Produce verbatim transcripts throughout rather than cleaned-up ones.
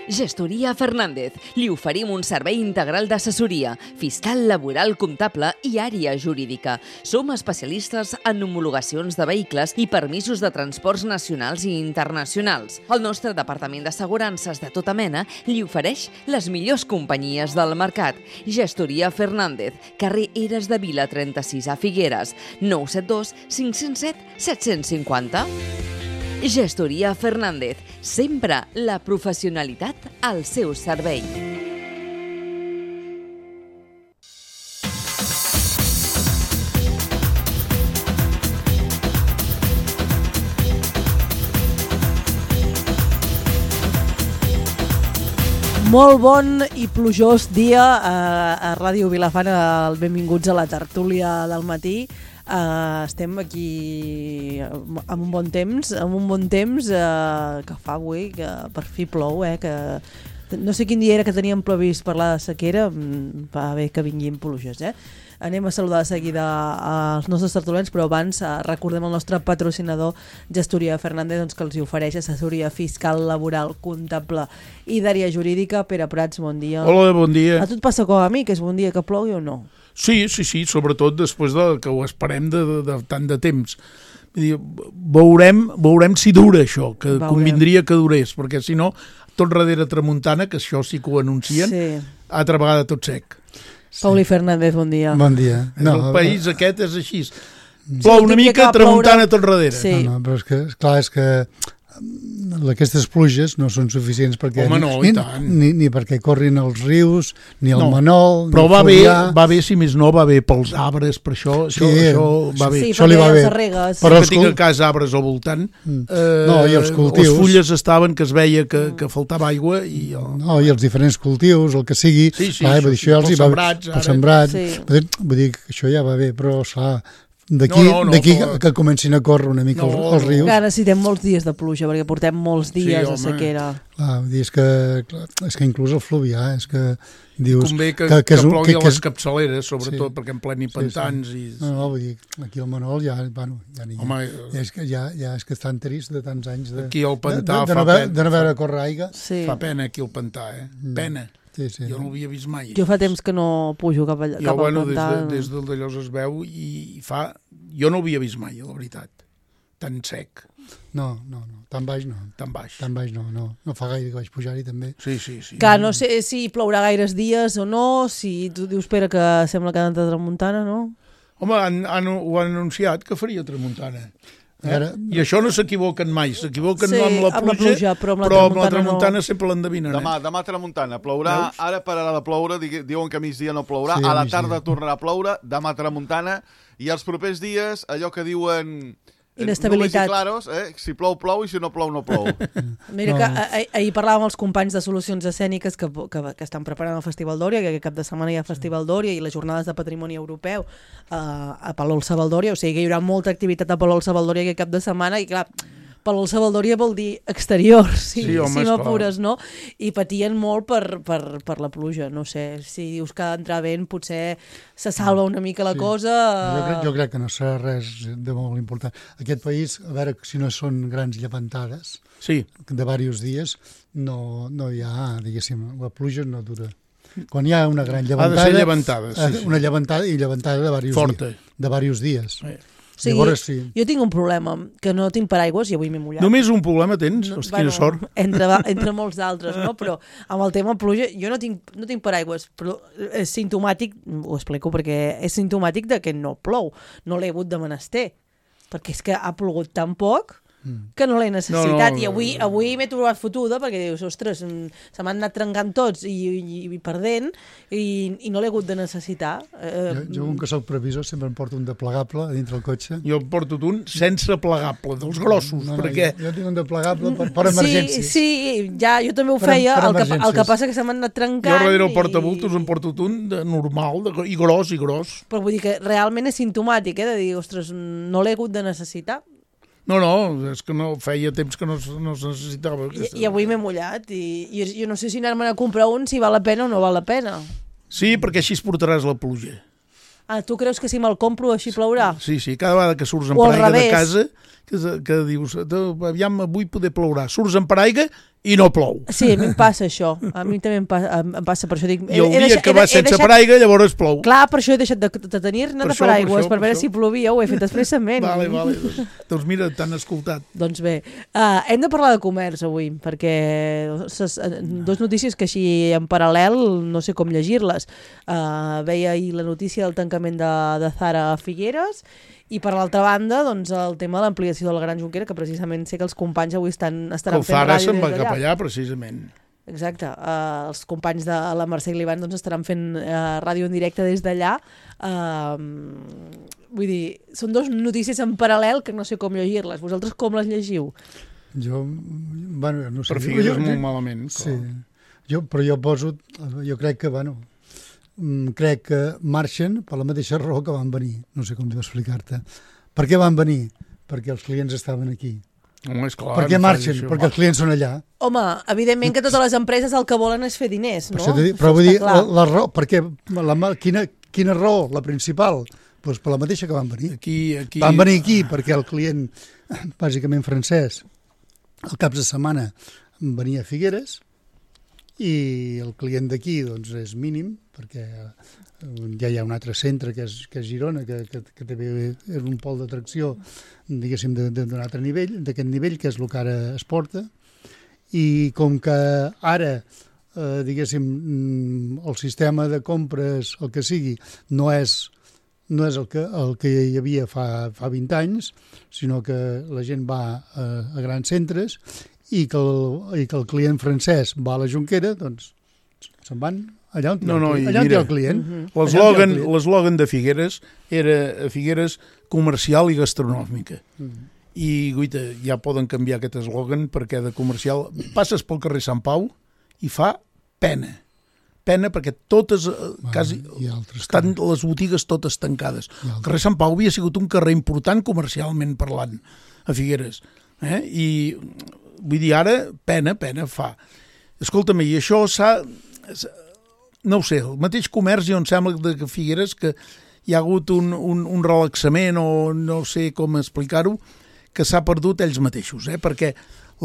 Gestoria Fernández. Li oferim un servei integral d'assessoria, fiscal, laboral, comptable i àrea jurídica. Som especialistes en homologacions de vehicles i permisos de transports nacionals i internacionals. El nostre departament d'assegurances de tota mena li ofereix les millors companyies del mercat. Gestoria Fernández, carrer Eres de Vila trenta-sis a Figueres, nou set dos cinc zero set set cinc zero. Gestoria Fernández, sempre la professionalitat al seu servei. Molt bon i plujós dia a, a Ràdio Vilafant. Benvinguts a la tertúlia del matí. Uh, estem aquí amb un bon temps, amb un bon temps uh, que fa avui, que per fi plou, eh, que no sé quin dia era que teníem previst parlar de sequera, va bé que vinguin pluges, eh? Anem a saludar de seguida als nostres tertulians, però abans uh, recordem el nostre patrocinador Gestoria Fernández, doncs, que els ofereix assessoria fiscal, laboral, comptable i d'àrea jurídica. Pere Prats, bon dia. Hola, bon dia. A tu et passa com a mi, que és bon dia que plogui o no? Sí, sí, sí, sobretot després de que ho esperem de, de, de tant de temps. Vull dir, veurem, veurem si dura això, que veurem. Convindria que durés, perquè si no, tot darrere tramuntana, que això sí que ho anuncien, sí. Altra vegada tot sec. Sí. Pauli Fernández, bon dia. Bon dia. No, el país aquest és així. Plou una mica, tramuntana tot darrere. Sí. No, no, però és que, clar, és que aquestes pluges no són suficients perquè Home, no, ni, ni, ni perquè corrin els rius, ni el no, Manol, però ni va bé, va bé, si més no, va bé pels arbres, per això, això, sí, això va bé. Sí, això li va bé. Regues. Però que tinc a casa arbres al voltant, mm. eh, no, i els cultius. Les fulles estaven que es veia que, que faltava aigua i... El... No, i els diferents cultius, el que sigui, sí, sí, clar, això, dir, això ja els hi va bé, pels sembrats, sí. Vull dir que això ja va bé, però clar, d'aquí no, no, no, d'aquí però... que comencin a córrer una mica no, els, els rius. Clar, necessitem molts dies de pluja, perquè portem molts dies sí, de sequera. Clar, vull dir, és que, clar, és que inclús el fluvià, és que dius... Convé que, que, que, que plogui que, a que les capçaleres, sobretot, sí, perquè en pleni pantans. Sí, sí. I... No, no, vull dir, aquí al Manol ja, bueno, ja n'hi Home, ja, és que ja, ja és que estan trist de tants anys de, aquí al pantà de, de, de, no, fa haver, de no haver de córrer aigua. Sí. Fa pena aquí al pantà, eh? Pena. Sí, sí. Jo no ho havia vist mai. Jo fa temps que no pujo cap, allà, jo, cap bueno, al pantà. Des, de, des del d'allòs es veu i fa... Jo no ho havia vist mai, la veritat. Tan sec. No, no, no. Tan baix no. Tan baix. Tan baix no, no. No fa gaire que vaig pujar-hi també. Sí, sí, sí. Que no sé si plourà gaires dies o no, si tu dius, Pere, que sembla que ha d'entrar tramuntana, no? Home, han, han, ho han anunciat que faria tramuntana. Eh? Ara... I això no s'equivoquen mai, s'equivoquen sí, no amb la pluja, amb la pluja però amb la però tramuntana, amb la tramuntana no. sempre l'endevinen. Demà, eh? demà tramuntana, plourà, Veus? Ara pararà de ploure, diuen que a migdia no plourà, sí, a la migdia. tarda tornarà a ploure, demà tramuntana, i els propers dies, allò que diuen... Inestabilitat. Claros, eh? Si plou, plou, i si no plou, no plou. Mira no. que ah, ahir parlàvem amb els companys de Solucions Escèniques que, que, que estan preparant el Festival d'Òria, que aquest cap de setmana hi ha Festival d'Òria i les jornades de patrimoni europeu uh, a Palol-Savaldòria, o sigui que hi haurà molta activitat a Palol-Savaldòria aquest cap de setmana i clar, Palol-Savaldòria vol dir exterior, si, sí, home, si m'apures, no? I patien molt per, per, per la pluja, no sé, si dius que entrar vent potser se salva una mica la sí. cosa... Jo crec, jo crec que no serà res de molt important. Aquest país, a veure si no són grans llevantades, sí. de diversos dies, no, no hi ha, diguéssim, la pluja no dura. Quan hi ha una gran llevantada... Ha de ser llevantada, sí, sí. Una llevantada i llevantada de diversos Forta. dies. De diversos dies. Sí. O sigui, Llavors, sí. Jo tinc un problema, que no tinc paraigües i avui m'he mullat. Només un problema tens? No, Hosti, bueno, quina sort. Entre, entre molts d'altres, no? Però amb el tema pluja, jo no tinc, no tinc paraigües, però és simptomàtic, ho explico perquè és simptomàtic de que no plou, no l'he hagut de menester, perquè és que ha plogut tan poc que no l'he necessitat, no, no, i avui, avui m'he trobat fotuda perquè dius, ostres, se m'han anat trencant tots i, i, i perdent i, i no l'he hagut de necessitar. Jo, jo com que soc previsor sempre em porto un de plegable a dintre el cotxe. Jo em porto un sense plegable, dels grossos, no, no, perquè... Jo, jo tinc un de plegable per, per emergències. Sí, sí, ja, jo també ho per, feia, per el, que, el que passa que se m'han anat trencant. Jo darrere el i... portabultos em porto un de normal, de, i gros, i gros. Però vull dir que realment és simptomàtic, eh, de dir, ostres, no l'he hagut de necessitar. No, no, és que no feia temps que no, no es necessitava. I, i avui m'he mullat i, i jo no sé si anar-me'n a comprar un, si val la pena o no val la pena. Sí, perquè així es portaràs la pluja. Ah, tu creus que si me'l compro així plourà? Sí, sí, cada vegada que surts en O al paraigua de revés. casa que, que dius, aviam, avui poder plourà. Surts en paraigua i no plou. Sí, a mi em passa això. A mi també em passa, em passa per això. Dic, I el dia deixat, que vas sense deixat... paraigua, llavors plou. Clar, per això he deixat de, de tenir-ne de paraigües, per, per, per veure això. Si plovia, ho he fet expressament. Vale, vale. Doncs, doncs mira, t'han escoltat. Doncs bé, uh, hem de parlar de comerç avui, perquè ses, dos notícies que així en paral·lel no sé com llegir-les. Uh, veia ahir la notícia del tancament de, de Zara a Figueres, i per l'altra banda, doncs, el tema de l'ampliació del Gran Junquera, que precisament sé que els companys avui estan, estaran fent ràdio des d'allà. El Zara se'n va cap allà, precisament. Exacte. Uh, els companys de la Mercè i l'Ivan doncs, estaran fent uh, ràdio en directe des d'allà. Uh, vull dir, són dues notícies en paral·lel que no sé com llegir-les. Vosaltres com les llegiu? Jo, bueno, no sé. Per Figueres molt malament. Sí. Jo, però jo poso, jo crec que, bueno, crec que marxen per la mateixa raó que van venir. No sé com d'explicar-te. Per què van venir? Perquè els clients estaven aquí. Home, és clar, per què no marxen? Perquè els clients són allà. Home, evidentment que totes les empreses el que volen és fer diners, no? Per dir, però vull dir, la, la raó, perquè la, quina, quina raó, la principal? Doncs per la mateixa que van venir. Aquí, aquí... Van venir aquí perquè el client, bàsicament francès, el caps de setmana venia a Figueres, i el client d'aquí doncs, és mínim, perquè ja hi ha un altre centre que és, que és Girona, que, que, que també és un pol d'atracció, diguéssim, d'un altre nivell, d'aquest nivell, que és el que ara es porta, i com que ara, eh, diguéssim, el sistema de compres, el que sigui, no és, no és el, que, el que hi havia fa, fa vint anys, sinó que la gent va a, a grans centres, i que, el, i que el client francès va a la Jonquera, doncs se'n van allà on, no, no, allà on mira, hi ha el client. L'eslògan l'eslògan de Figueres era a Figueres comercial i gastronòmica. Uh-huh. I, guita, ja poden canviar aquest eslògan perquè de comercial... Passes pel carrer Sant Pau i fa pena. Pena perquè totes, bueno, quasi, estan carrer. Les botigues totes tancades. El carrer Sant Pau havia sigut un carrer important comercialment parlant a Figueres. Eh? I... Vull dir, ara, pena, pena fa. Escolta'm, i això s'ha... No ho sé, el mateix comerç, jo em sembla que Figueres que hi ha hagut un, un, un relaxament o no sé com explicar-ho, que s'ha perdut ells mateixos, eh? Perquè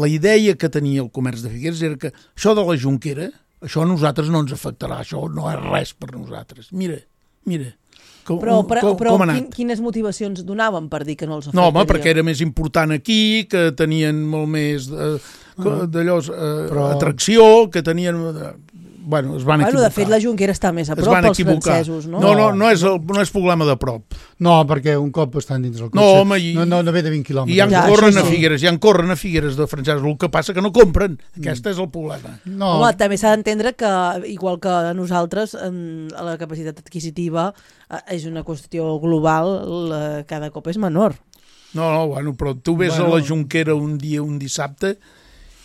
la idea que tenia el comerç de Figueres era que això de la Jonquera, això a nosaltres no ens afectarà, això no és res per nosaltres. Mira, mira. Com, però però, com, però com quin, quines motivacions donaven per dir que no els afectaria? No, home, perquè era més important aquí, que tenien molt més eh, d'allò, eh, però... atracció, que tenien... Eh, bueno, es van bueno, equivocar. De fet, la Jonquera està més a prop pels francesos, no? No, no, no és, el, no és problema de prop. No, perquè un cop estan dins el cotxe... No, home, i, no, no, no ve de vint quilòmetres. I ja en ja, corren a Figueres, ja en corren a Figueres de francesos, el que passa que no compren. Mm. Aquest és el problema. No. Home, també s'ha d'entendre que, igual que a nosaltres, la capacitat adquisitiva és una qüestió global, cada cop és menor. No, no, bueno, però tu ves bueno. a la Jonquera un dia, un dissabte,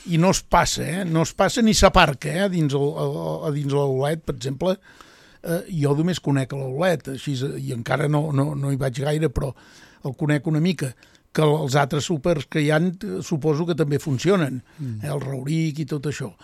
i no es passa, eh? No es passa ni s'aparca, eh? A dins, el, a, a dins l'Aulet, per exemple, eh, jo només conec l'Aulet, així, i encara no, no, no hi vaig gaire, però el conec una mica, que els altres súpers que hi ha suposo que també funcionen, mm. eh? El Rauric i tot això.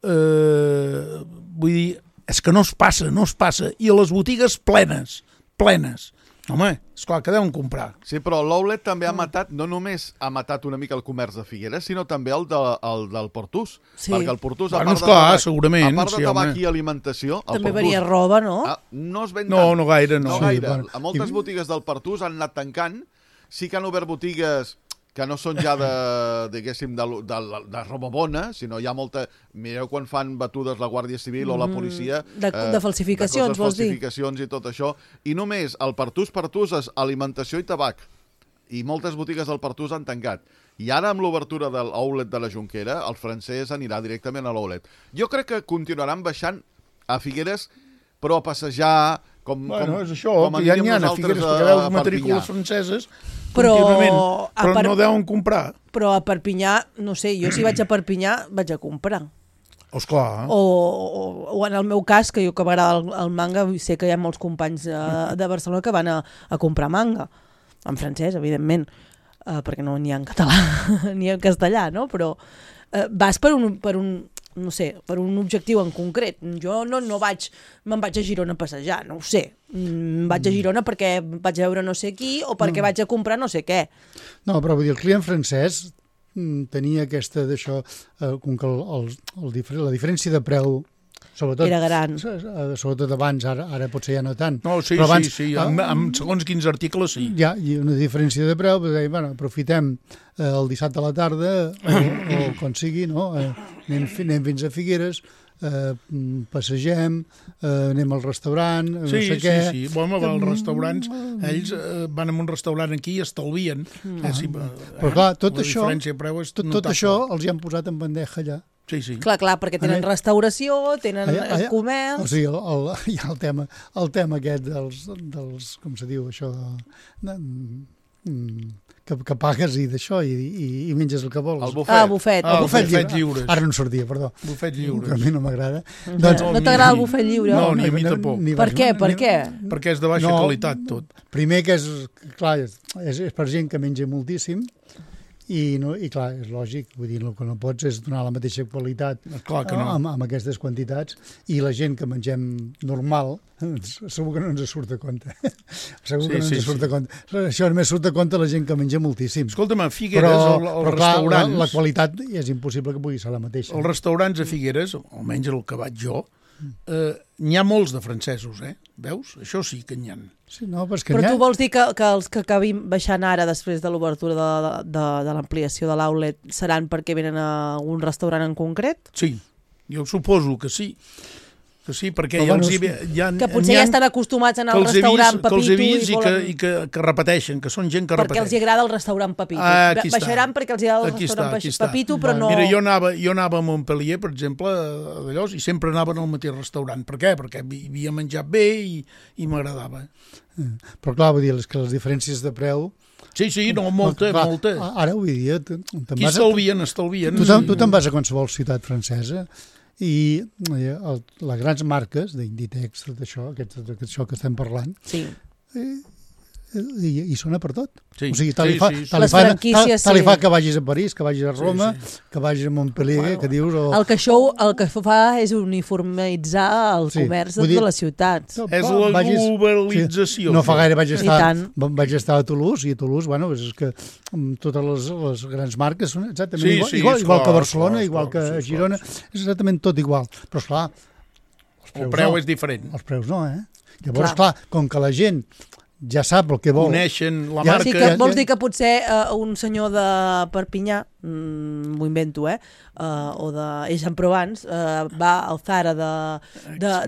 Eh, vull dir, és que no es passa, no es passa, i a les botigues plenes, plenes. Home, esclar, que deuen comprar. Sí, però l'Oulet també ha matat, no només ha matat una mica el comerç de Figueres, sinó també el, de, el del Portús. Sí. Perquè el Portús, a bueno, part, esclar, de tabac, segurament, a part de sí, tabac home. i alimentació... També Portús, venia roba, no? Ah, no es ven no, tant. No, gaire, no. No gaire. Sí, bueno. A moltes botigues del Portús han anat tancant. Sí que han obert botigues que no són ja de, diguéssim, de, de, de roba bona, sinó hi ha molta... Mireu quan fan batudes la Guàrdia Civil mm, o la policia... De, de eh, falsificacions, de vols dir? falsificacions i tot això. I només el Partús Partús és alimentació i tabac. I moltes botigues del Partús han tancat. I ara, amb l'obertura de l'Oulet de la Jonquera, el francès anirà directament a l'Oulet. Jo crec que continuaran baixant a Figueres, però a passejar... Com, bueno, com, és això, com que ja n'hi ha a Figueres, perquè veus matrícules franceses però, contínuament, però per... no deuen comprar. Però a Perpinyà, no sé, jo si vaig a Perpinyà vaig a comprar. Oh, esclar. O, o, o en el meu cas, que jo que m'agrada el, el manga, sé que hi ha molts companys uh, de Barcelona que van a, a comprar manga, en francès, evidentment, uh, perquè no n'hi ha en català ni en castellà, no? Però uh, vas per un... Per un no sé, per un objectiu en concret. Jo no, no vaig, me'n vaig a Girona a passejar, no ho sé. Mm, vaig a Girona perquè vaig a veure no sé qui o perquè mm. vaig a comprar no sé què. No, però vull dir, el client francès tenia aquesta d'això, eh, com que el, el, el, la diferència de preu sobretot, era gran. Sobretot abans, ara, ara potser ja no tant. No, sí, però abans, sí, sí, amb, amb segons quins articles sí. Hi ha, hi ha una diferència de preu, perquè, bueno, aprofitem eh, el dissabte a la tarda, o, o quan sigui, no? Eh, anem, anem fins a Figueres, eh, passegem, eh, anem al restaurant, sí, no sé sí, què. Sí, sí, bueno, els restaurants, ells eh, van a un restaurant aquí i estalvien. Mm. Eh, sí, eh, però clar, tot això, tot, tot això els hi han posat en bandeja allà. Sí, sí. Clar, clar, perquè tenen allà, restauració, tenen allà, allà, comerç... O sigui, el, el, hi ha el tema, el tema aquest dels, dels com se diu, això, de, de, que, que pagues i d'això i, i, i menges el que vols. El bufet. Ah, el bufet. Ah, el bufet, bufet lliure. lliures. Ara no sortia, perdó. Bufet lliures. Que a mi no m'agrada. No, doncs, no t'agrada el bufet lliure? No, ni a mi tampoc. Ni, ni per què, per què? Perquè és de baixa no, qualitat, tot. Primer que és, clar, és, és per gent que menja moltíssim, I, no, i clar, és lògic, vull dir, el que no pots és donar la mateixa qualitat clar que no. amb, amb aquestes quantitats, i la gent que mengem normal segur que no ens surt a compte. Segur sí, que no ens sí, surt sí. a compte. Això només surt a compte la gent que menja moltíssim. Escolta'm, a Figueres, però, el, el però clar, restaurants... La, la qualitat és impossible que pugui ser la mateixa. Els restaurants a Figueres, almenys el que vaig jo, eh, n'hi ha molts de francesos, eh? Veus? Això sí que n'hi ha. Sí, no, però però tu vols dir que, que els que acabin baixant ara després de l'obertura de, de, de l'ampliació de l'outlet seran perquè venen a un restaurant en concret? Sí, jo suposo que sí. Que sí, perquè ja bueno, els hi, ja, que potser ja estan acostumats a anar al restaurant Pepito. Que els he vist i, volen... i, que, i que, que repeteixen, que són gent que perquè repeteix. els agrada el restaurant Pepito. Ah, Baixaran perquè els agrada el aquí restaurant està, Pepito, però no... Mira, jo anava, jo anava a Montpellier, per exemple, d'allò, i sempre anaven al mateix restaurant. Per què? Perquè havia menjat bé i, i m'agradava. Però clar, vull dir, que les diferències de preu... Sí, sí, no, molta, clar, molta. Ara avui dia... Qui estalvien, estalvien. Tu, tu te'n vas a qualsevol ciutat francesa i el, les grans marques d'Inditex, d'això, aquest, això que estem parlant, sí. i, i, i sona per tot. Sí, o sigui, tal sí, li fa, sí, sí. tal li fa, tal, tal li sí. fa que vagis a París, que vagis a Roma, sí, sí. que vagis a Montpellier, bueno, que dius... O... El que això el que fa és uniformitzar el sí. comerç de dir, les ciutats. No, és la vagis, globalització. Sí, no fa gaire vaig estar, vaig estar a Toulouse, i a Toulouse, bueno, és que totes les, les grans marques són exactament sí, igual, sí, igual, igual clar, que Barcelona, clar, igual clar, que sí, Girona, clar, sí. És exactament tot igual. Però, esclar, els preus, el preu no. és diferent. Els preus no, eh? Llavors, clar, clar com que la gent ja sap el que vol. Coneixen la ja, marca. Sí, que vols dir que potser uh, un senyor de Perpinyà, mm, m'ho invento, eh? Uh, o d'Aix-en-Provence, uh, va al Zara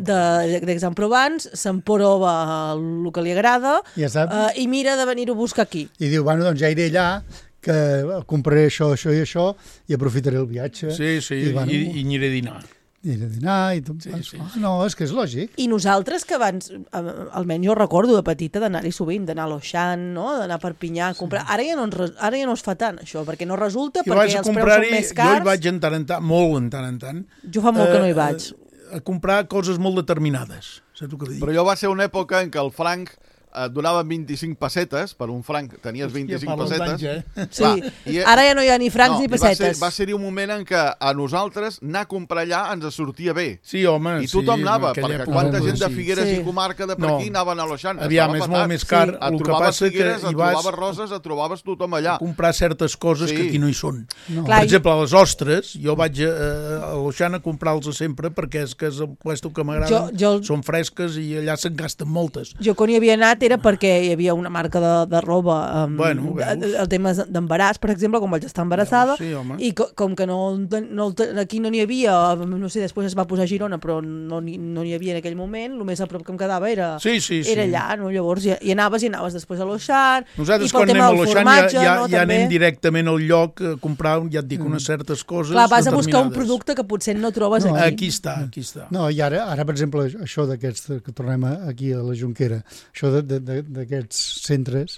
d'Aix-en-Provence, s'emprova el que li agrada ja uh, i mira de venir-ho a buscar aquí. I diu, bueno, doncs ja iré allà, que compraré això, això i això, i aprofitaré el viatge. Sí, sí, i, bueno, i, i aniré a dinar. I a dinar i tot. Sí, sí, sí. No, és que és lògic. I nosaltres que abans, almenys jo recordo de petita d'anar-hi sovint, d'anar a l'Auchan, no? D'anar a Perpinyà a comprar. Sí. Ara, ja no ens, ara ja no es fa tant, això, perquè no resulta, jo perquè els preus són més cars. Jo hi vaig en tant en tant, molt en tant en tant. Jo fa molt eh, que no hi vaig. A comprar coses molt determinades, saps què dic? Però jo va ser una època en què el franc et donaven vint-i-cinc pessetes, per un franc tenies vint-i-cinc pessetes. Eh? Sí, clar, i, ara ja no hi ha ni francs no, ni pessetes. Va ser-hi ser un moment en què a nosaltres anar a comprar allà ens sortia bé. Sí, home, I tothom sí, anava, perquè època, quanta gent de sí. Figueres sí. i comarca de per aquí no. anaven a l'Auchan. Aviam, és molt més car. Sí. El que passa Figueres, que hi vas... vas... trobaves roses, et trobaves tothom allà. A comprar certes coses sí. que aquí no hi són. No. Per exemple, les ostres, jo vaig a, a l'Auchan a comprar-los sempre perquè és que és el puesto que m'agrada, jo... són fresques i allà se'n gasten moltes. Jo quan hi havia anat era perquè hi havia una marca de, de roba um, bueno, de, el tema d'embaràs, per exemple, com vaig estar embarassada, sí, i co com que no, no, aquí no n'hi havia, no sé, després es va posar a Girona, però no n'hi no havia en aquell moment, el més a prop que em quedava era, sí, sí, sí. era allà, no? Llavors hi, hi anaves i anaves després a l'Auchan, nosaltres i pel quan tema anem del a l'Auchan formatge, ja, ja, no, ja també. anem directament al lloc a comprar, ja et dic, unes certes coses clar, vas a buscar un determinades. producte que potser no trobes no, aquí. Aquí està, aquí està. No, i ara, ara per exemple, això d'aquests, que tornem aquí a la Jonquera, això d'aquests centres,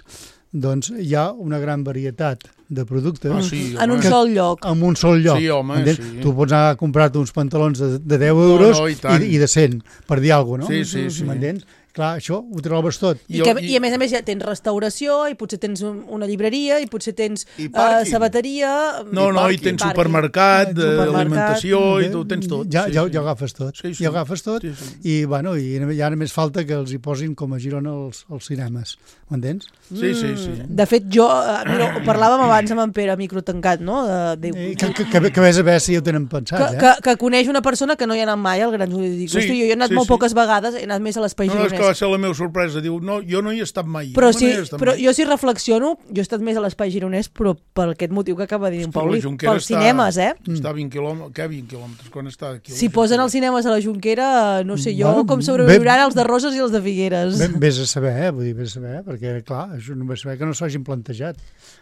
doncs hi ha una gran varietat de productes ah, sí, en un sol lloc. En un sol lloc. Sí, home, sí. Tu pots anar a comprar-te uns pantalons de, de deu euros no, no, i, i, i de cent, per dir alguna cosa, no? Sí, sí, sí. M'entens? clar, això ho trobes tot. I, que, I a més a més ja tens restauració, i potser tens un, una llibreria, i potser tens I uh, sabateria... No, no, i tens supermercat, Supermercat. alimentació, i tu ho tens tot. Ja, sí, ja, sí. ja ho agafes tot. Sí, sí. Ja ho agafes tot, Sí, sí. i, bueno, i ja només falta que els hi posin com a Girona els, els cinemes. M'entens? Sí, sí, sí. De fet, jo... Uh, mira, ho parlàvem abans amb en Pere, microtancat, no? De, de, Eh, que, que, que, que vés a veure si ho tenen pensat, que, eh? que, que coneix una persona que no hi ha anat mai al Gran Jurídic. Sí, Hosti, jo hi he anat sí, molt sí. poques vegades, he anat més a l'espai No, no, és gironès. que va ser la meva sorpresa. Diu, no, jo no hi he estat mai. Però, no sí, hi he estat però mai. jo si reflexiono, jo he estat més a l'espai gironès, però per aquest motiu que acaba de dir en Però la Paulí, Jonquera pels està- cinemes, eh? Està a vint quilòmetres, què vint quilòmetres? Quan està aquí? a la Si posen Jonquera? els cinemes a la Jonquera, no sé jo Bueno, com bé- sobreviuran els de Roses i els de Figueres. Ves, ves a saber, eh? Vull dir, ves a saber, perquè, clar, això no ves a saber que no s'hagin plantejat.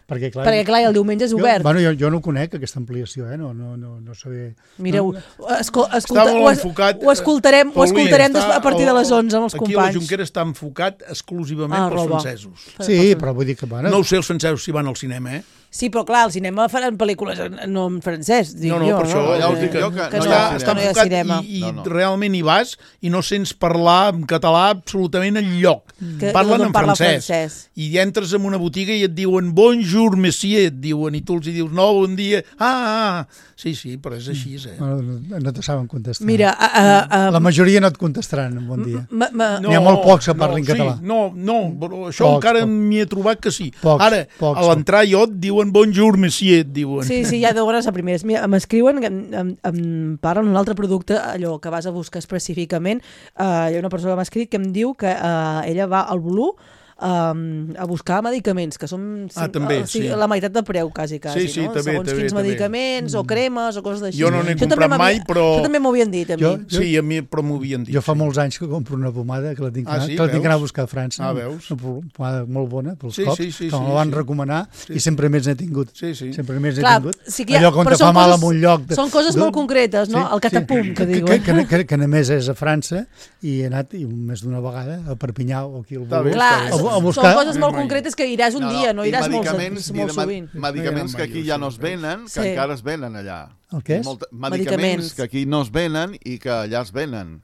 Perquè, clar, Perquè, clar, el diumenge és jo, obert. bueno, jo, jo no conec aquesta ampliació, eh? No, no, no, no sabé... Mireu, no, escol, Està escolta, molt ho, es, enfocat. ho escoltarem, ho Paulí, escoltarem està des, a partir de les onze amb els aquí a la companys. Jonquera està enfocat exclusivament Ah, pels roba. francesos. Sí, però vull dir que, bueno... No ho sé els francesos si van al cinema, eh? Sí, però clar, al cinema faran pel·lícules en, no en francès, dic No, no, jo. per això, ja us Eh, dic jo que que no no, hi ha està, que està no hi ha enfocat cinema. i, i No, no. realment hi vas i no sents parlar en català absolutament enlloc. Que- Parlen no en parla francès. francès. I entres en una botiga i et diuen bonjour, monsieur, et diuen, i tu els hi dius no, bon dia, ah, ah, ah. Sí, sí, però és així, eh? Bueno, no, no te saben contestar. Mira, a, a, a, La majoria no et contestaran en bon dia. ma, ma, N'hi ha molt pocs que parlin no, català. Sí, no, no, però això Pocs, encara pocs. m'hi he trobat que sí. Pocs, Ara, pocs, a l'entrar jo et diuen bonjour, monsieur, et diuen. Sí, sí, ja deuen ser primers. Mira, m'escriuen, em, em, em parlen d'un altre producte, allò que vas a buscar específicament. Uh, hi ha una persona que m'ha escrit que em diu que uh, ella va al Volú um, a buscar medicaments, que són Ah, també, uh, sí, sí. la meitat de preu, quasi, quasi, Sí, sí, no? també, Segons també, quins també. medicaments, o cremes, o coses d'així. Jo no n'he Això comprat també m'havia- mai, però- Això també m'ho havien dit, a mi. Jo- Sí, a mi, però m'ho havien dit. Jo fa sí. molts anys que compro una pomada que la tinc, Ah, que- sí? que la tinc que anar a Veus? buscar a França. Ah, veus? Una pomada molt bona pels Sí, cops, sí, sí, que me sí, la van sí. recomanar Sí, i sí. sempre més n'he tingut. Sí, sí. Sempre més n'he Clar, tingut. sí que hi ha- Allò quan però te fa són mal coses- en un lloc... De, són coses de- molt concretes, no? El catapum, que que, diuen. Que, que, que, que a més és a França i he anat i més d'una vegada a Perpinyà o aquí al Està bé, Voló. Clar, està bé. A- a són buscar- coses molt Mai. concretes que iràs un dia, no i iràs molt, medicaments, molt i de sovint. med- Medicaments que aquí ja no es venen, que Sí. encara es venen allà. El què és? Molta, Medicaments. medicaments que aquí no es venen i que allà es venen.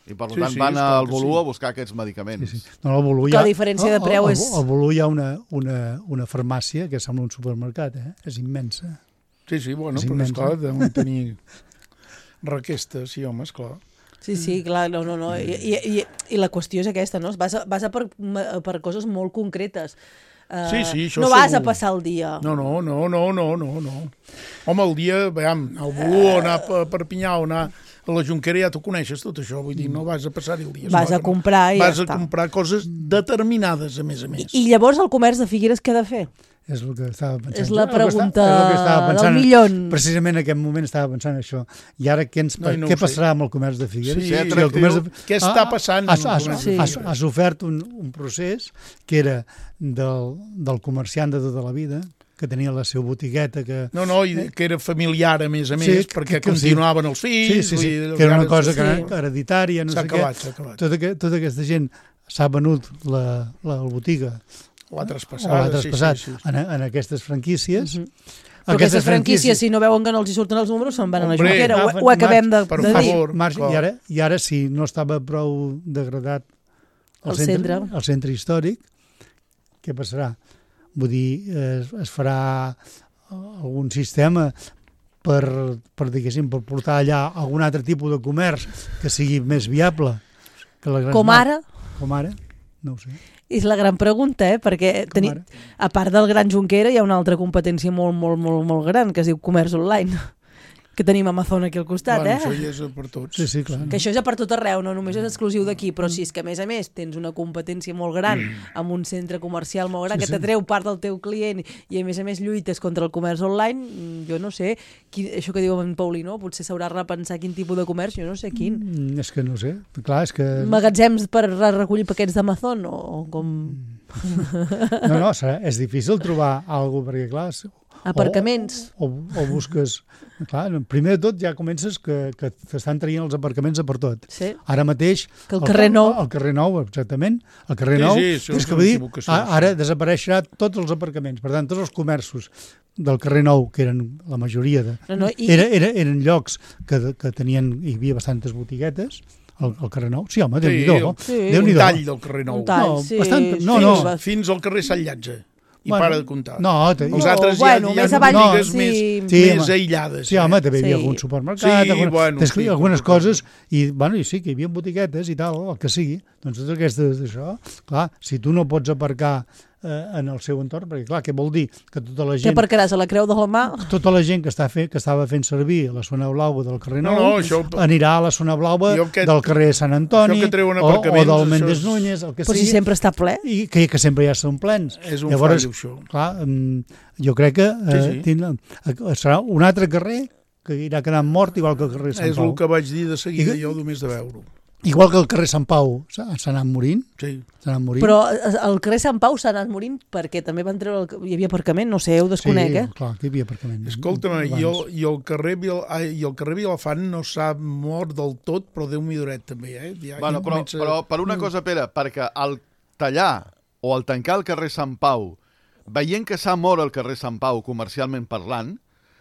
I per Sí, tant sí, van esclar al que Volú sí. a buscar aquests medicaments. Sí, sí. No, al Volú Que hi ha, la diferència de preu al- és- Al Volú hi ha una, una, una farmàcia que sembla un supermercat, eh? És immensa. Sí, sí, bueno, És però immens, esclar, eh? deuen tenir requestes, sí, home, esclar. Sí, sí, clar, no, no, no. I, i, i, i la qüestió és aquesta, no? Vas a, vas a per, per coses molt concretes. Uh, Sí, sí, això no vas segur. a passar el dia. No, no, no, no, no, no, no. Home, el dia, veiem, al Volú o anar a Perpinyà o anar a la Jonquera ja t'ho coneixes tot això, vull dir, no vas a passar-hi el dia. Vas esclar a que no. comprar i ja Vas a està. comprar coses determinades, a més a més. I llavors el comerç de Figueres què ha de fer? És el que estava pensant. És la Jo, el que està- pregunta és el que estava pensant. del millón. Precisament en aquest moment estava pensant això. I ara què, ens, No, i no què ho sé. passarà amb el comerç de Figueres? Sí, Si el atractiu. comerç de... Què està passant Has, amb el has, comerç de has, Figueres? has ofert un, un procés que era del, del comerciant de tota la vida, que tenia la seva botigueta, que... No, no, i que era familiar, a més a més, Sí, perquè que- que sí. continuaven els Sí, fills... sí, sí, vull dir, que era una encara- cosa sí. que hereditària, no S'ha sé acabat, què. s'ha acabat. Tota, que, tota aquesta gent s'ha venut la, la botiga L'ha o traspassat. l'ha traspassat sí, sí, sí. en, en aquestes franquícies. Mhm. Però aquestes franquícies, si no veuen que no els hi surten els números, se'n van a la Hombre, Jonquera. Ho, agafen ho acabem de, per de dir. favor. Marge, clar. i, ara, I ara, si no estava prou degradat el, El centre, centre. el centre històric, què passarà? Vull dir, es, es farà algun sistema per, per, diguéssim, per portar allà algun altre tipus de comerç que sigui més viable que la gran Com mar- ara, Com ara? No ho sé. és la gran pregunta, eh? Perquè Com teni, ara? a part del Gran Jonquera hi ha una altra competència molt, molt, molt, molt gran, que es diu comerç online, que tenim Amazon aquí al costat, Bueno, eh? això ja és per tots. Sí, sí, clar. Que això és a per tot arreu, no només és exclusiu d'aquí, però si és que a més a més tens una competència molt gran amb un centre comercial molt gran Sí, que sí. t'atreu part del teu client i a més a més lluites contra el comerç online, mm, jo no sé, qui, això que diu en Paulí, no? Potser s'haurà de repensar quin tipus de comerç, jo no sé quin. Mm, és que no ho sé. Clar, és que... Magatzems per re- recollir paquets d'Amazon o, o com No, no, serà, és difícil trobar alguna cosa, perquè clar... és- aparcaments. O, o, o busques... Clar, primer de tot ja comences que, que t'estan traient els aparcaments a per tot. Sí. Ara mateix... Que el carrer Nou. El carrer Nou, exactament. El carrer Sí, Nou. sí, això és és que una vull dir, equivocació, a- ara sí. desapareixerà tots els aparcaments. Per tant, tots els comerços del carrer Nou, que eren la majoria de... No, no, i- era, era, eren llocs que, que tenien... Hi havia bastantes botiguetes, al, al carrer Nou. Sí, home, Sí, Déu-n'hi-do. sí. Un Déu-n'hi-do. tall del carrer Nou. Un tall, No, sí. bastant- no, fins, no. fins al carrer Sant Llàtzer. I Bueno, para de comptar. No, te- Els No, altres bueno, hi ha, hi ha més avall, botigues sí. més, Sí, més home. aïllades. Sí, home, també hi havia Sí. algun supermercat, Sí, alguna, bueno, des- sí, algunes com- coses, i, bueno, i sí, que hi havia botiguetes i tal, el que sigui. Doncs totes aquestes d'això, clar, si tu no pots aparcar eh, en el seu entorn, perquè clar, què vol dir? Que tota la Què gent, aparcaràs a la Creu de la Mà? tota la gent que, està fent, que estava fent servir la zona blaua del carrer No, Nou no, això- anirà a la zona blaua Jo aquest- del carrer Sant Antoni això que treuen o, o aparcaments, del això Méndez és- Núñez, el que Però si sigui, sempre està ple. i que, que sempre ja són plens. És un Llavors, fallo, això. clar, mm, jo crec que eh, Sí, sí. tindrà- eh, serà un altre carrer que irà quedant mort, igual que el carrer Sant És Pau. el que vaig dir de seguida I- jo només de veure-ho. Igual que el carrer Sant Pau s'ha s'ha anat morint, Sí. s'ha anat morint. Però el carrer Sant Pau s'ha anat morint perquè també van treure... El... Hi havia aparcament, no sé, ho desconec, sí, eh? clar, que hi havia aparcament. Escolta'm, abans. i el, i, el carrer Vil, ai, i el carrer Vilafant no s'ha mort del tot, però Déu m'hi duret també, eh? Ja, Bueno, ja però, comença- però per una cosa, Pere, perquè al tallar o al tancar el carrer Sant Pau, veient que s'ha mort el carrer Sant Pau, comercialment parlant,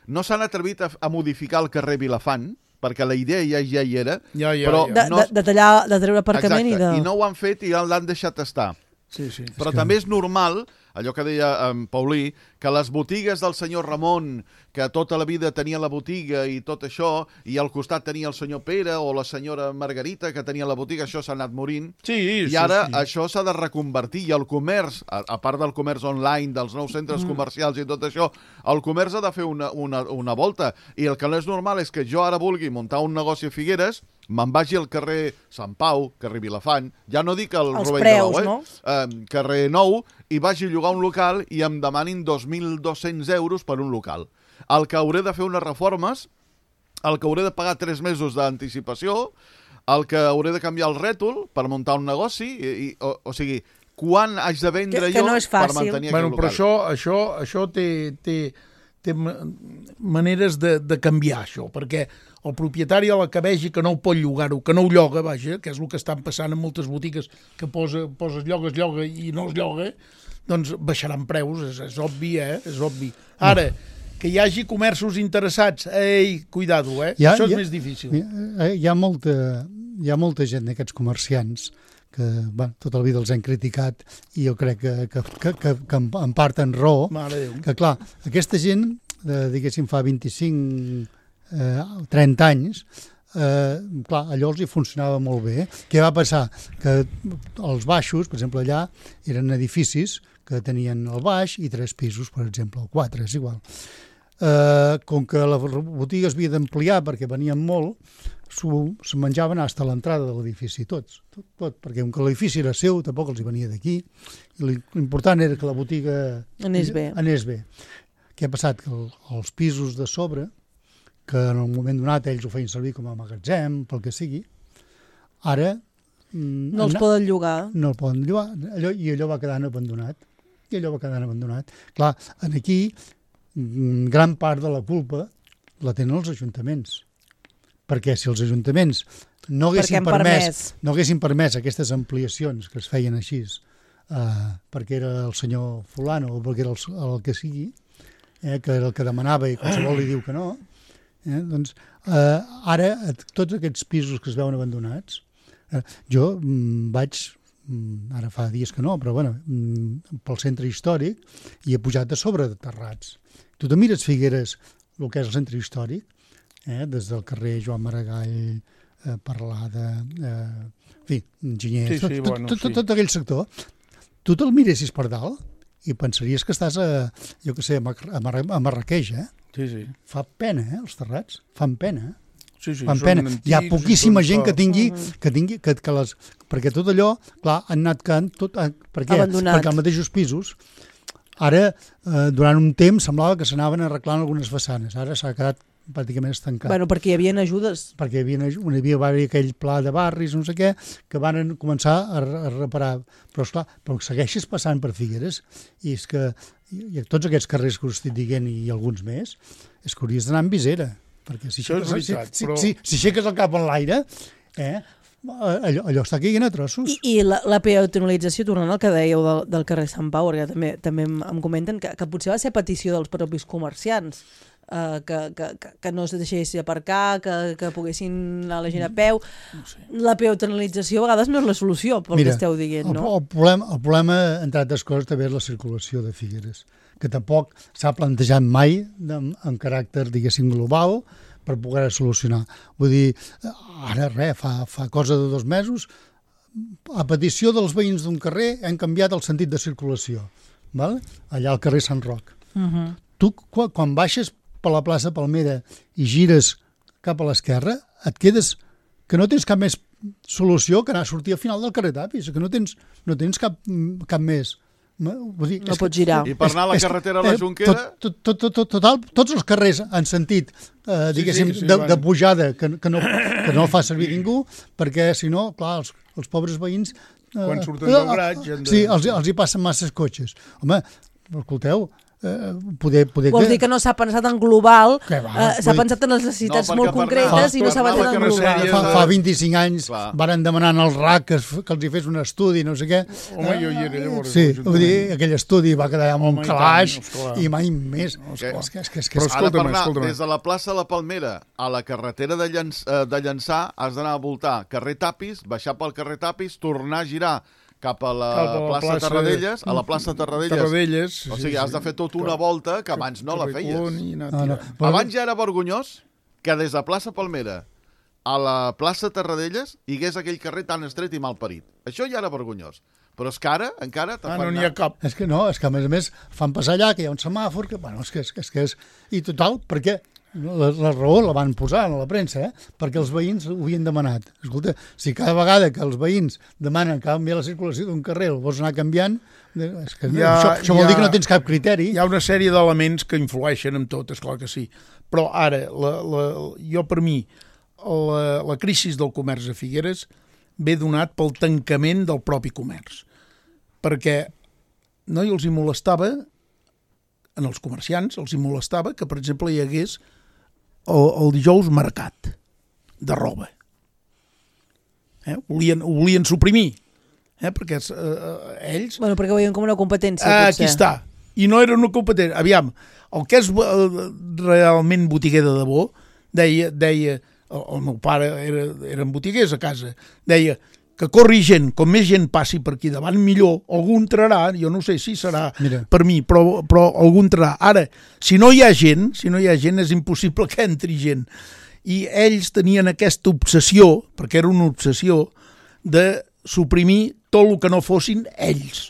no s'han atrevit a, a modificar el carrer Vilafant, perquè la idea ja, ja hi era, Ja, ja, però ja. De, no, de, de tallar, de treure aparcament exacte, i de... i no ho han fet i l'han deixat estar. Sí, sí. Però que- també és normal, allò que deia en Paulí, que les botigues del senyor Ramon, que tota la vida tenia la botiga i tot això, i al costat tenia el senyor Pere o la senyora Margarita, que tenia la botiga, això s'ha anat morint. Sí, I ara sí. això s'ha de reconvertir, i el comerç, a, a part del comerç online, dels nous centres Mm. comercials i tot això, el comerç ha de fer una, una, una volta. I el que no és normal és que jo ara vulgui muntar un negoci a Figueres, me'n vagi al carrer Sant Pau, carrer Vilafant, ja no dic el Els Rovell preus, de l'Ou, eh? no? eh? carrer Nou, i vagi a llogar un local i em demanin dos mil dos-cents euros per un local. El que hauré de fer unes reformes, el que hauré de pagar tres mesos d'anticipació, el que hauré de canviar el rètol per muntar un negoci, i, i, o, o sigui, quan haig de vendre Que- que jo no és per fàcil. mantenir Bueno, aquest però local. això, això, això té, té, té ma- maneres de, de canviar, això, perquè el propietari a la que vegi que no ho pot llogar-ho, que no ho lloga, vaja, que és el que estan passant en moltes botigues, que posa, poses lloga, es lloga i no es lloga, doncs baixaran preus, és, és obvi, eh? És obvi. Ara, que hi hagi comerços interessats, ei, cuidado, eh? Hi ha- Això és hi ha- més difícil. Hi ha, hi ha, molta, hi ha molta gent d'aquests comerciants que bueno, tota la vida els hem criticat i jo crec que, que, que, que, que en, en part en raó, Mare de Déu. que clar, aquesta gent, eh, diguéssim, fa vint-i-cinc, eh, trenta anys, eh, clar, allò els hi funcionava molt bé. Què va passar? Que els baixos, per exemple, allà eren edificis que tenien el baix i tres pisos, per exemple, o quatre, és igual. Eh, com que la botiga es havia d'ampliar perquè venien molt, s'ho se menjaven fins a l'entrada de l'edifici, tots, tot, tot, perquè com que l'edifici era seu, tampoc els hi venia d'aquí, i l'important era que la botiga Anés bé. anés bé. Què ha passat? Que el, els pisos de sobre, que en un moment donat ells ho feien servir com a magatzem, pel que sigui, ara mm, No els han- poden llogar. no el poden llogar, allò, i allò va quedant abandonat. I allò va quedant abandonat. Clar, en aquí, mm, gran part de la culpa la tenen els ajuntaments. Perquè si els ajuntaments no Perquè haguessin han permès, permès. no haguessin permès aquestes ampliacions que es feien així, eh, perquè era el senyor fulano o perquè era el, el que sigui, eh, que era el que demanava i qualsevol li diu que no, eh, doncs eh, ara eh, tots aquests pisos que es veuen abandonats, eh, jo mm, vaig, mm, ara fa dies que no, però bueno, mm, pel centre històric i he pujat a sobre de terrats. Tu te mires Figueres, el que és el centre històric, eh, des del carrer Joan Maragall, eh, Parlada, eh, en fi, Enginyers, Sí, sí, tot, bueno, tot, sí. tot, tot aquell sector, tu te'l miressis per dalt i pensaries que estàs a, jo què sé, a, Mar a, Mar a Marrakeix, eh? Sí, sí. Fa pena, eh, els terrats, fan pena, eh? Sí, sí, Fan són pena. Hi ha antics i poquíssima són gent que fa- tingui, que tingui que, que les, perquè tot allò, clar, han anat quedant tot, eh, per què? Abandonat. Perquè els mateixos pisos, ara, eh, durant un temps semblava que s'anaven arreglant algunes façanes, ara s'ha quedat pràcticament estancat. Bueno, perquè hi havia ajudes. Perquè hi havia, hi havia, va haver aquell pla de barris, no sé què, que van començar a, a reparar. Però, esclar, però segueixes passant per Figueres i és que i, i tots aquests carrers que us estic dient i alguns més, és que hauries d'anar amb visera. Perquè si Això és aixeques, veritat, si, però- si, si, si aixeques el cap en l'aire, eh, allò, allò està caient a trossos. I, i la, la peatonalització, tornant al que dèieu del, del carrer Sant Pau, perquè també, també em, em comenten que, que potser va ser petició dels propis comerciants. Uh, que, que, que no es deixés aparcar, que, que poguessin a la gent a peu. No sé. La peatonalització a vegades no és la solució, pel Mira, que esteu dient, no? El, el, problema, el problema, entre altres coses, també és la circulació de Figueres, que tampoc s'ha plantejat mai en, en caràcter, diguéssim, global per poder solucionar. Vull dir, ara res, fa, fa cosa de dos mesos, a petició dels veïns d'un carrer hem canviat el sentit de circulació, val? Allà al carrer Sant Roc. Uh-huh. Tu, quan, quan baixes per la plaça Palmera i gires cap a l'esquerra, et quedes que no tens cap més solució que anar a sortir al final del carrer Tapis, que no tens, no tens cap, cap més. Vull dir, no pots girar. I per anar a la carretera a la Jonquera... Tot, tot, tot, tot, total, tots els carrers en sentit, eh, diguéssim, sí, sí, sí, de, de pujada, que, que, no, que no el fa servir ningú, perquè, si no, clar, els, els pobres veïns... Eh, quan surten del graig... De... Sí, els, els hi passen masses cotxes. Home, escolteu... Eh, poder, poder Vols dir que no s'ha pensat en global, va, eh, s'ha pensat en les necessitats no, molt concretes fa, i no s'ha pensat en global. Fa, fa vint-i-cinc anys clar. Varen demanar al R A C que, que els hi fes un estudi, no sé què. Home, jo hi era llavors. Sí, vull dir, aquell estudi va quedar amb un calaix i mai més. No, que, és que, és que, és que, que, ara per anar des de la plaça de la Palmera a la carretera de, Llanç, de Llançà has d'anar a voltar carrer Tapis, baixar pel carrer Tapis, tornar a girar cap a la, cap a la plaça, plaça Tarradellas, a la plaça Tarradellas. Tarradellas o sigui, has de fer tota una volta que abans no la feies. No, no. Abans ja era vergonyós que des de plaça Palmera a la plaça Tarradellas hi hagués aquell carrer tan estret i mal parit. Això ja era vergonyós. Però és que ara, encara... Ah, no n'hi ha cap. És que no, és que a més a més fan passar allà, que hi ha un semàfor, que, bueno, és que és... és, que és I total, perquè la, la raó la van posar a la premsa, eh? Perquè els veïns ho havien demanat. Escolta, si cada vegada que els veïns demanen canviar la circulació d'un carrer, el vols anar canviant, és que ja, això, això vol ja, dir que no tens cap criteri. Hi ha una sèrie d'elements que influeixen en tot, és clar que sí. Però ara, la, la, jo per mi, la, la crisi del comerç a Figueres ve donat pel tancament del propi comerç. Perquè no els hi molestava, en els comerciants, els hi molestava que, per exemple, hi hagués el, el dijous mercat de roba. Eh? Volien, ho volien suprimir, eh? Perquè eh, ells... Bueno, perquè ho veien com una competència, ah, potser. Aquí està. I no era una competència. Aviam, el que és realment botiguer de debò, deia, deia el, el meu pare era, eren botiguers a casa, deia que corri gent, com més gent passi per aquí davant, millor, algú entrarà, jo no sé si serà Mira. per mi, però, però algú entrarà. Ara, si no hi ha gent, si no hi ha gent, és impossible que entri gent. I ells tenien aquesta obsessió, perquè era una obsessió, de suprimir tot el que no fossin ells.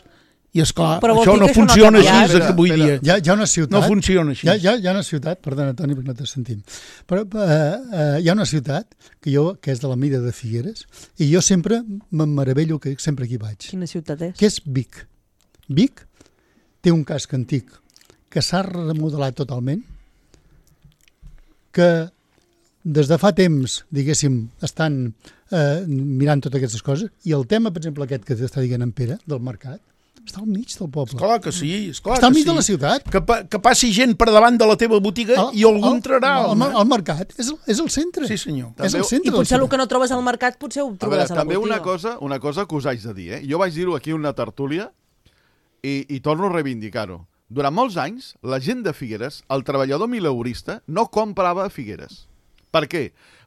I esclar, això no funciona així, és el que vull dir. Hi ha, hi ha una ciutat... No funciona així. Hi ha, hi ha, hi ha una ciutat, perdona, Toni, perquè no te sentim, però uh, uh, hi ha una ciutat que jo que és de la mida de Figueres i jo sempre me'n meravello que sempre aquí vaig. Quina ciutat és? Que és Vic. Vic té un casc antic que s'ha remodelat totalment, que des de fa temps, diguéssim, estan uh, mirant totes aquestes coses, i el tema, per exemple, aquest que t'està dient en Pere, del mercat, està al mig del poble. Esclar que sí. Esclar està al mig sí. de la ciutat. Que, pa, que passi gent per davant de la teva botiga el, i algú entrarà. El, el, el mercat és, és el centre. Sí, senyor. És el centre. I potser el que no trobes al mercat potser ho trobaràs a, veure, a la també botiga. Una cosa, una cosa que us haig de dir. Eh? Jo vaig dir-ho aquí una tertúlia i, i torno a reivindicar-ho. Durant molts anys, la gent de Figueres, el treballador mileurista, no comprava a Figueres. Per què?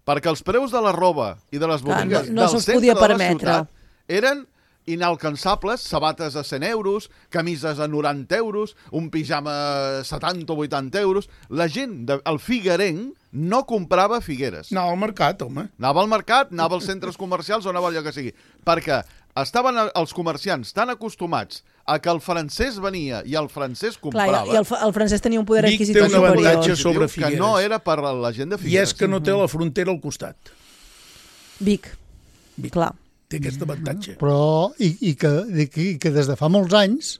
Perquè els preus de la roba i de les botigues Clar, no, no del centre podia de la permetre. ciutat eren inalcançables, sabates a cent euros, camises a noranta euros, un pijama a setanta o vuitanta euros. La gent, de, el figuerenc, no comprava a Figueres. Anava al mercat, home. Anava al mercat, anava als centres comercials o anava allò que sigui. Perquè estaven els comerciants tan acostumats a que el francès venia i el francès comprava... Clar, i el, el francès tenia un poder Vic adquisitiu té un avantatge superior. sobre Figueres. Que no era per la gent de Figueres. I és que no té la frontera al costat. Vic. Vic. Clar. Té aquest avantatge. Però, i, i, que, i que des de fa molts anys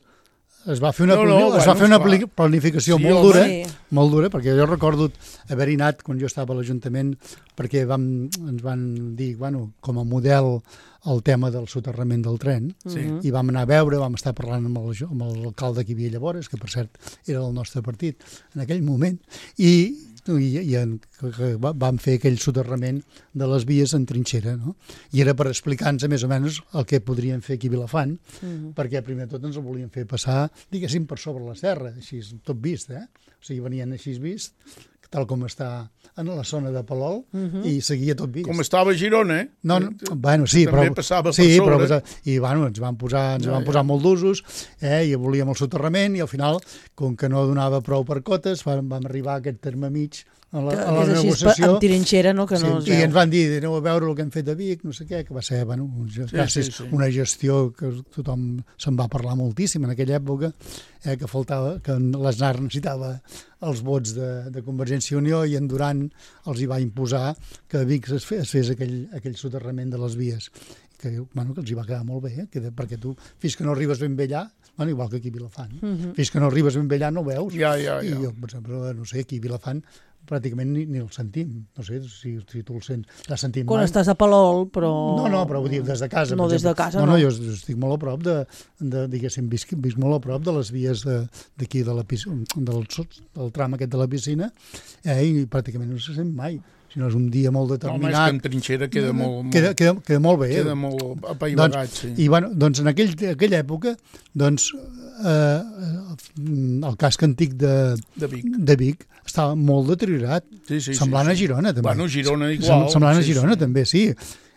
es va fer una, no, no, es va bueno, fer una clar. planificació Sí, molt home. dura, Sí. molt dura, perquè jo recordo haver-hi anat quan jo estava a l'Ajuntament, perquè vam, ens van dir, bueno, com a model el tema del soterrament del tren, Sí. i vam anar a veure, vam estar parlant amb el- amb l'alcalde que hi havia llavors, que per cert era del nostre partit en aquell moment, i, i, i en, que, que va- vam fer aquell soterrament de les vies en trinxera, no? I era per explicar-nos més o menys el que podríem fer aquí a Vilafant, Mhm. perquè primer de tot ens el volien fer passar, diguéssim, per sobre la serra, així tot vist, eh? O sigui, venien així vist, tal com està en la zona de Palol, uh-huh. i seguia tot vist. Com estava a Girona, eh? No, no, bueno, sí, també però, passava sí, per sobre. Però, i bueno, ens van posar, ens ja, van posar ja. molt d'usos, eh, i volíem el soterrament, i al final, com que no donava prou per cotes, vam, vam arribar a aquest terme mig a la, a la és negociació. Amb tirinxera, no? Que sí, no es I veu. ens van dir, aneu a veure el que hem fet a Vic, no sé què, que va ser, bueno, sí, sí, sí. una gestió que tothom se'n va parlar moltíssim en aquella època, eh, que faltava, que l'Aznar necessitava els vots de, de Convergència i Unió, i en Duran els hi va imposar que a Vic es fes, es fes aquell, aquell soterrament de les vies, que, bueno, que els hi va quedar molt bé, eh? que, perquè tu, fins que no arribes ben bé allà, bueno, igual que aquí a Vilafant, uh-huh. fins que no arribes ben bé allà no ho veus, ja, ja, ja. i jo, per exemple, no sé, aquí a Vilafant pràcticament ni, ni el sentim, no sé si, si tu el sents, la sentim quan mai. Estàs a Palol, però... No, no, però vull dir, des de casa. No, des de casa, no. no. No, jo estic molt a prop de, de diguéssim, visc, visc molt a prop de les vies d'aquí, de, de la piscina, del, del tram aquest de la piscina, eh, i pràcticament no se sent mai. Si no és un dia molt determinat... No, és que en trinxera queda molt... molt queda, queda, queda molt bé. Queda molt apaivagat, doncs, sí. I, bueno, doncs en aquell, aquella època, doncs, eh, el casc antic de, de, Vic. de Vic estava molt deteriorat, sí, sí, semblant sí, sí. a Girona, també. Bueno, Girona igual. Semblant sí, a Girona, sí. també, sí.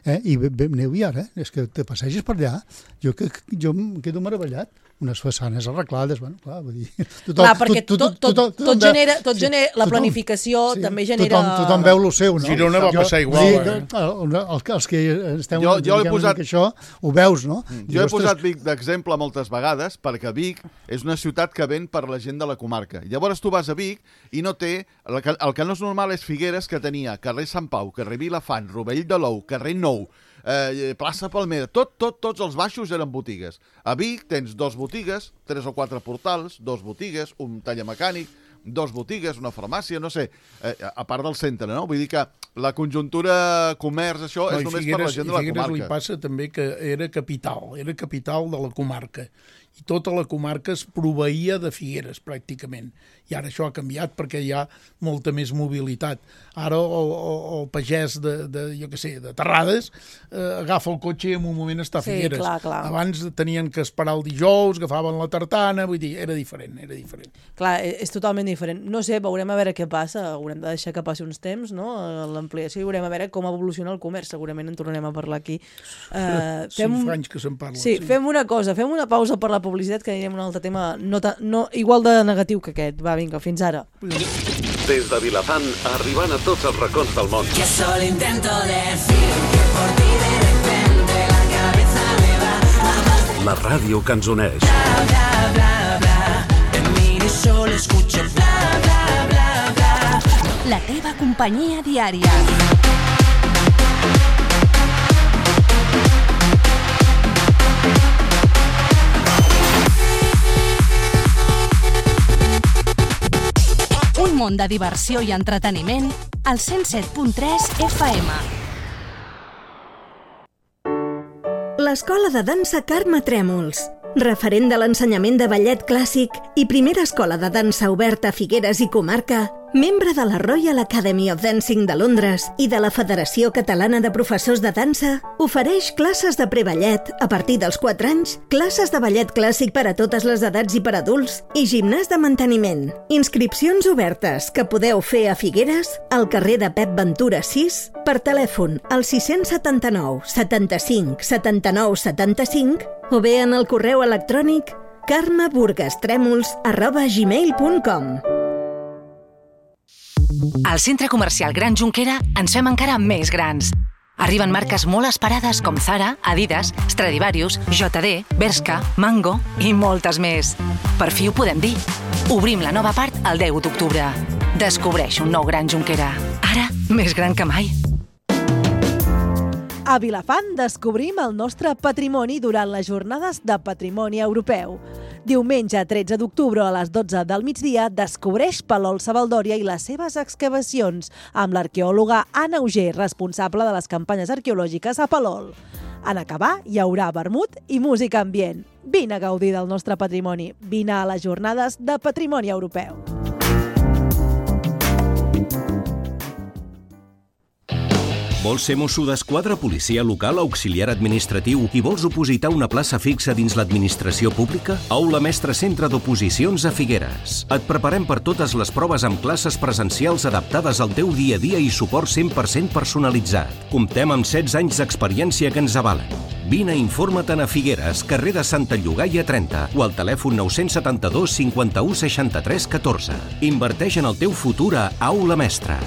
Eh? I aneu i ara, és que te passeges per allà, jo, que, jo em quedo meravellat. Unes façanes arreglades, bueno, clar, vull dir... Tothom, clar, perquè tot, tot, tot, tot, tot genera, tot sí, genera, la tothom, planificació sí, també genera... Tothom, tothom veu el seu, no? Girona va jo, passar igual, sí, eh? El, el, els que estem jo, jo he posat... que això, ho veus, no? Mm. Jo he ostres... posat Vic d'exemple moltes vegades, perquè Vic és una ciutat que ven per la gent de la comarca. Llavors tu vas a Vic i no té... El que, el que no és normal és Figueres, que tenia carrer Sant Pau, carrer Vilafant, Rovell de l'Ou, carrer Nou, Eh, plaça Palmera, tot, tot, tots els baixos eren botigues. A Vic tens dos botigues, tres o quatre portals, dos botigues, un taller mecànic, dos botigues, una farmàcia, no sé, eh, a part del centre, no? Vull dir que la conjuntura comerç, això, no, és només Figueres, per la gent de la Figueres comarca. Li passa també que era capital, era capital de la comarca, i tota la comarca es proveïa de Figueres, pràcticament. I ara això ha canviat perquè hi ha molta més mobilitat. Ara el, el, el pagès de, de, jo què sé, de Terrades eh, agafa el cotxe i en un moment està a Figueres. Sí, clar, clar. Abans tenien que esperar el dijous, agafaven la tartana, vull dir, era diferent, era diferent. Clar, és totalment diferent. No sé, veurem a veure què passa, haurem de deixar que passi uns temps, no?, l'ampliació, i veurem a veure com evoluciona el comerç, segurament en tornarem a parlar aquí. Uh, fem... Cinc anys que se'n parla. Sí, sí, fem una cosa, fem una pausa per la publicitat, que anirem a un altre tema no, no, igual de negatiu que aquest. Va, vinga, fins ara. Des de Vilafant, arribant a tots els racons del món. Que solo intento decir que por ti de repente la cabeza me va. La ràdio que ens uneix. Bla, bla, bla, bla. Te miro y solo escucho bla, bla, bla, bla. La teva companyia diària. Un món de diversió i entreteniment al cent set punt tres F M. L'Escola de Dansa Carme Trèmols, referent de l'ensenyament de ballet clàssic i primera escola de dansa oberta a Figueres i comarca, membre de la Royal Academy of Dancing de Londres i de la Federació Catalana de Professors de Dansa, ofereix classes de preballet a partir dels quatre anys, classes de ballet clàssic per a totes les edats i per adults i gimnàs de manteniment. Inscripcions obertes que podeu fer a Figueres, al carrer de Pep Ventura sis, per telèfon al sis set nou, setanta-cinc, setanta-nou, setanta-cinc o bé en el correu electrònic carmeburgastremols arroba gmail punt com. Al Centre Comercial Gran Jonquera ens fem encara més grans. Arriben marques molt esperades com Zara, Adidas, Stradivarius, J D, Bershka, Mango i moltes més. Per fi ho podem dir. Obrim la nova part el deu d'octubre. Descobreix un nou Gran Jonquera. Ara, més gran que mai. A Vilafant descobrim el nostre patrimoni durant les jornades de patrimoni europeu. Diumenge tretze d'octubre a les dotze del migdia descobreix Palol Savaldòria i les seves excavacions amb l'arqueòloga Anna Auger, responsable de les campanyes arqueològiques a Palol. En acabar hi haurà vermut i música ambient. Vine a gaudir del nostre patrimoni. Vine a les jornades de patrimoni europeu. Vols ser mosso d'esquadra, policia local, auxiliar administratiu i vols opositar una plaça fixa dins l'administració pública? Aula Mestre Centre d'Oposicions a Figueres. Et preparem per totes les proves amb classes presencials adaptades al teu dia a dia i suport cent per cent personalitzat. Comptem amb setze anys d'experiència que ens avalen. Vine i informa-te'n a Figueres, carrer de Santa Llogaia trenta o al telèfon nou set dos cinquanta-u seixanta-tres catorze. Inverteix en el teu futur a Aula Mestre.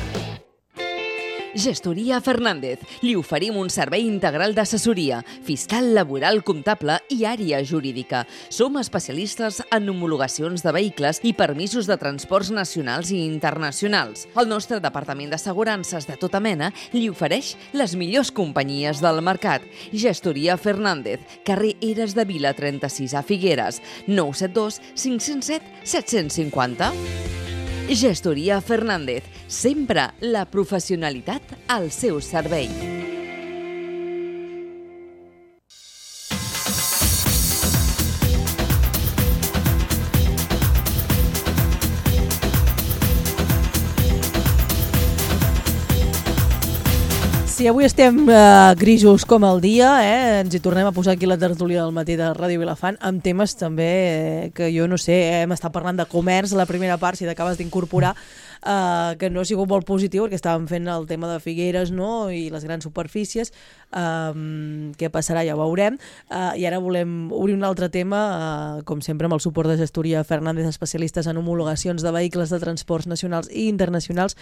Gestoria Fernández. Li oferim un servei integral d'assessoria, fiscal, laboral, comptable i àrea jurídica. Som especialistes en homologacions de vehicles i permisos de transports nacionals i internacionals. El nostre departament d'assegurances de tota mena li ofereix les millors companyies del mercat. Gestoria Fernández, carrer Eres de Vila trenta-sis a Figueres, nou set dos cinc zero set set cinc zero. Gestoria Fernández, sempre la professionalitat al seu servei. Si avui estem eh, grisos com el dia, eh, ens hi tornem a posar aquí la tertúlia del matí de Ràdio Vilafant amb temes també eh, que jo no sé, eh, hem estat parlant de comerç a la primera part, si t'acabes d'incorporar, eh, que no ha sigut molt positiu perquè estàvem fent el tema de Figueres, no?, i les grans superfícies, eh, què passarà ja ho veurem, eh, i ara volem obrir un altre tema, eh, com sempre amb el suport de Gestoria Fernández, especialistes en homologacions de vehicles de transports nacionals i internacionals.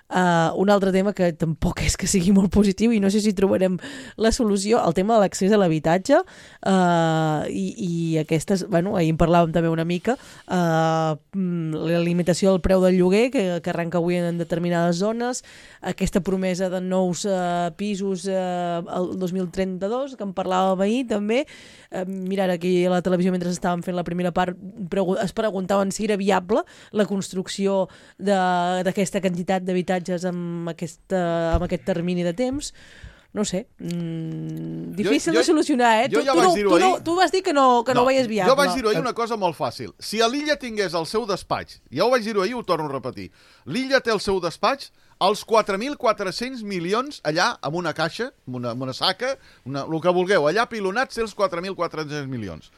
Uh, un altre tema que tampoc és que sigui molt positiu i no sé si trobarem la solució, el tema de l'accés a l'habitatge, uh, i, i aquestes, bueno, ahir en parlàvem també una mica, uh, la limitació del preu del lloguer que, que arrenca avui en determinades zones, aquesta promesa de nous uh, pisos uh, el dos mil trenta-dos, que en parlàvem ahir també, uh, mirant aquí a la televisió mentre estàvem fent la primera part, pregu- es preguntaven si era viable la construcció d'aquesta quantitat d'habitatge amb, aquesta, amb aquest termini de temps. No sé, mm, difícil jo, jo, de solucionar, eh? Jo tu, ja tu, vaig no, dir-ho tu, ahir. no, tu vas dir que no, que no, no ho veies viable. Jo vaig dir-ho ahir una cosa molt fàcil. Si a l'Illa tingués el seu despatx, ja ho vaig dir-ho ahir, ho torno a repetir, l'Illa té el seu despatx, els quatre mil quatre-cents milions allà, amb una caixa, amb una, amb una saca, una, el que vulgueu, allà pilonats té els quatre mil quatre-cents milions.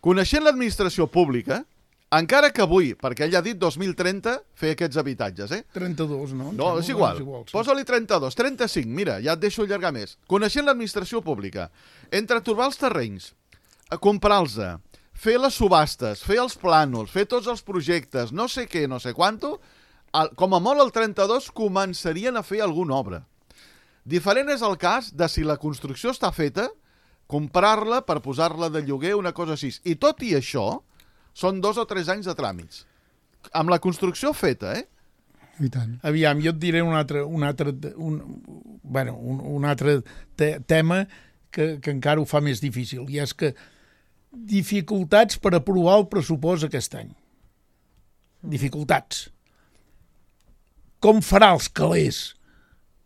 Coneixent l'administració pública, encara que avui, perquè ell ha dit dos mil trenta, fer aquests habitatges, eh? trenta-dos, no? No, és igual. És igual sí. Posa-li trenta-dos, trenta-cinc, mira, ja et deixo allargar més. Coneixent l'administració pública, entre trobar els terrenys, comprar-los, fer les subhastes, fer els plànols, fer tots els projectes, no sé què, no sé quanto, com a molt el trenta-dos començarien a fer alguna obra. Diferent és el cas de si la construcció està feta, comprar-la per posar-la de lloguer, una cosa així. I tot i això, són dos o tres anys de tràmits. Amb la construcció feta, eh? I tant. Aviam, jo et diré un altre, un altre, un, bueno, un, un altre te tema que, que encara ho fa més difícil, i és que dificultats per aprovar el pressupost aquest any. Dificultats. Com farà els calés